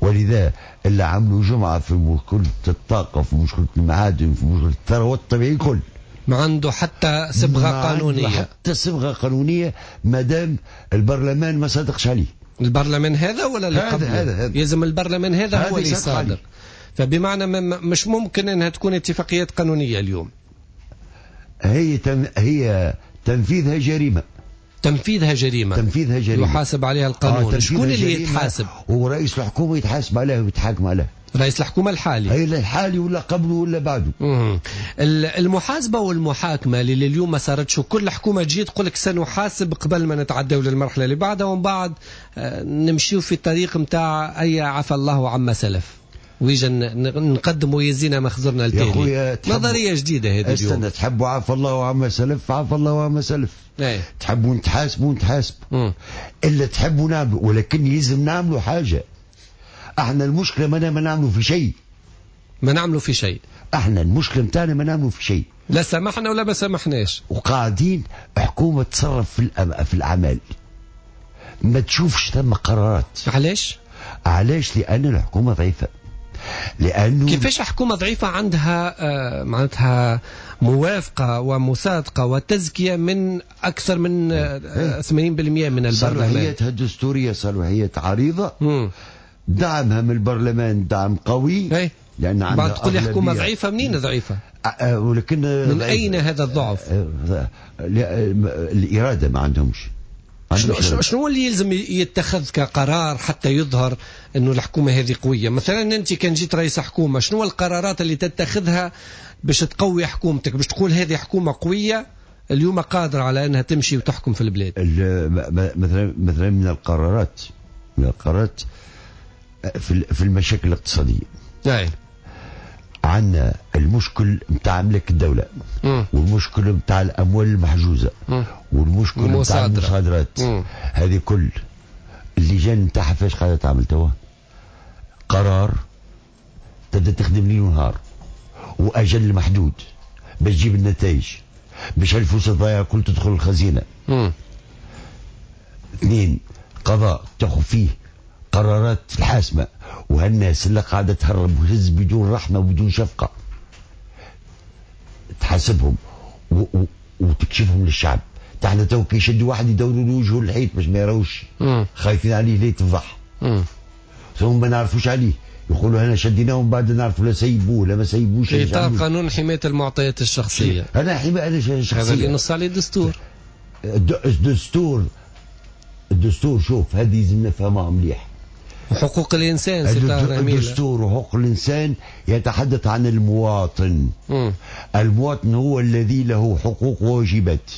[SPEAKER 5] ولذا اللي عملوا جمعة في مشكلة الطاقة، في مشكلة المعادن، في مشكلة الثروات الطبيعية الكل،
[SPEAKER 3] ما عنده حتى صبغة قانونية،
[SPEAKER 5] حتى صبغة قانونية ما دام البرلمان ما صادقش عليه.
[SPEAKER 3] البرلمان هذا ولا اللي قبله؟
[SPEAKER 5] هذا
[SPEAKER 3] يلزم البرلمان هذا هو اللي صادر. فبمعنى مش ممكن انها تكون اتفاقيات قانونية اليوم.
[SPEAKER 5] هي تنفيذها جريمة.
[SPEAKER 3] تنفيذها جريمة.
[SPEAKER 5] تنفيذها جريمة.
[SPEAKER 3] يحاسب عليها القانون. شكون اللي يتحاسب؟
[SPEAKER 5] ورئيس الحكومة يتحاسب عليها ويتحاكم عليها.
[SPEAKER 3] رئيس الحكومة الحالي.
[SPEAKER 5] هي الحالي ولا قبله ولا بعده.
[SPEAKER 3] المحاسبة والمحاكمة اللي اليوم ما صارتش، وكل حكومة تجي تقول لك سنحاسب قبل ما نتعداو للمرحلة اللي بعدها، ومن بعد نمشيو في الطريق نتاع أي عفى الله عما سلف، ويجا نقدموا يزينا ما خزرنا التالي. نظرية جديدة هذه اليوم.
[SPEAKER 5] استنى، تحبوا عفى الله عما سلف، عفى الله عما سلف. تحبوا نتحاسبوا نتحاسبوا، إلا تحبوا نعملوا، ولكن يلزم نعملوا حاجة. احنا المشكلة ما نعملوا في شيء.
[SPEAKER 3] ما نعملوا في شيء.
[SPEAKER 5] احنا المشكلة نتاعنا ما نعملوا في شيء.
[SPEAKER 3] لا سمحنا ولا ما سمحناش.
[SPEAKER 5] وقاعدين حكومة تصرف في الأعمال. ما تشوفش ثم قرارات.
[SPEAKER 3] علاش؟
[SPEAKER 5] علاش؟ لأن الحكومة ضعيفة. لأنه
[SPEAKER 3] كيفاش حكومة ضعيفة عندها معناتها موافقة ومصادقة وتزكية من أكثر من 80% من البرلمان.
[SPEAKER 5] صلاحيتها الدستورية صلاحيات عريضة. دعمها من البرلمان دعم قوي. لأن
[SPEAKER 3] بعد تقول لي حكومة ضعيفة، منين ضعيفة؟
[SPEAKER 5] ولكن
[SPEAKER 3] من أين هذا الضعف؟
[SPEAKER 5] الإرادة ما عندهمش.
[SPEAKER 3] شنو اللي يلزم يتخذ كقرار حتى يظهر أنه الحكومة هذه قوية؟ مثلا أنت كان جيت رئيس حكومة، شنو القرارات اللي تتخذها باش تقوي حكومتك، باش تقول هذه حكومة قوية اليوم قادرة على أنها تمشي وتحكم في البلاد؟
[SPEAKER 5] مثلا من القرارات في المشاكل الاقتصادية. عندنا المشكل نتاع املاك الدولة، والمشكل نتاع الأموال المحجوزة، والمشكل نتاع المصادرات. هذه كل اللجان نتاعها فاش قاعدة تعمل توا؟ قرار تبدا تخدم ليل ونهار وأجل محدود باش تجيب النتائج، باش الفلوس الضايعة كل تدخل الخزينة. اثنين، قضاء تاخذ فيه قرارات الحاسمة، وهالناس اللي قاعدة تهرب وتهز بدون رحمة وبدون شفقة. تحاسبهم وتكشفهم للشعب. احنا تو كي يشدوا واحد يدوروا له وجهه الحيط باش ما يراوش، خايفين عليه ليه تفضح، ثم ما نعرفوش عليه، يقولوا انا شديناهم بعد نعرفوا لا سيبوه لا ما سيبوش.
[SPEAKER 3] اطار قانون حماية المعطيات الشخصية.
[SPEAKER 5] انا حماية الشخصية
[SPEAKER 3] هذا اللي نص عليه الدستور.
[SPEAKER 5] الدستور شوف هذه لازم نفهمها مليح.
[SPEAKER 3] حقوق الانسان،
[SPEAKER 5] الدستور وحقوق الانسان يتحدث عن المواطن. المواطن هو الذي له حقوق وواجبات.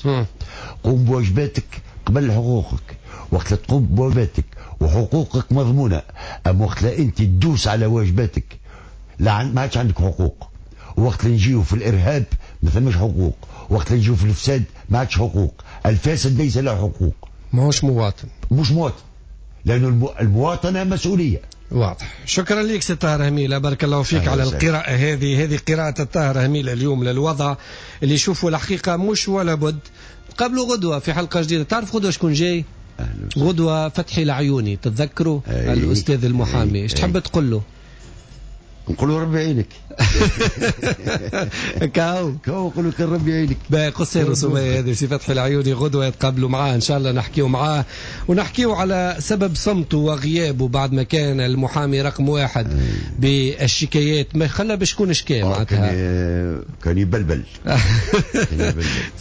[SPEAKER 5] قوم بواجباتك قبل حقوقك، وقت تقوم بواجباتك وحقوقك مضمونه. اما وقت انت تدوس على واجباتك لا ما عادش عندك حقوق. وقت نجيو في الارهاب ما ثماش حقوق، وقت نجيو في الفساد ما عادش حقوق. الفاسد ليس له حقوق،
[SPEAKER 3] ماهوش مواطن،
[SPEAKER 5] مش مواطن، لأن المواطنة مسؤولية.
[SPEAKER 3] واضح. شكرا لك سي طاهر هميلة، بارك الله فيك على القراءة هذه. هذه قراءة الطاهر هميلة اليوم للوضع اللي يشوفوا الحقيقة مش ولا بد. قبلوا غدوة في حلقة جديدة. تعرف غدوة شكون جاي؟ غدوة فتحي العيوني، تتذكروا؟ الأستاذ المحامي. ايش تحب تقول له؟
[SPEAKER 5] نقولوا ربي يعينك.
[SPEAKER 3] كاو
[SPEAKER 5] كاو نقولوا كان ربي يعينك.
[SPEAKER 3] باهي قصير وسمية هذه سي فتحي العيوني، غدوة يتقابلوا معاه ان شاء الله، نحكيو معاه ونحكيو على سبب صمته وغيابه بعد ما كان المحامي رقم واحد بالشكايات، ما خلى باش يكون شكاية معناتها.
[SPEAKER 5] كان يبلبل.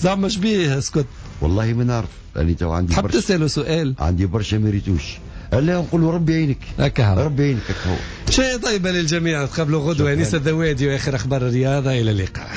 [SPEAKER 3] زعما شبيه اسكت؟
[SPEAKER 5] والله ما نعرف، انا تو عندي
[SPEAKER 3] تحب تسأله سؤال؟
[SPEAKER 5] عندي برشا ميريتوش. لا نقولوا ربي يعينك.
[SPEAKER 3] هكا
[SPEAKER 5] ربي يعينك. هكا
[SPEAKER 3] شيء طيبة للجميع. تقابلوا غدوة. أنيس الذوادي وآخر أخبار الرياضة. إلى اللقاء.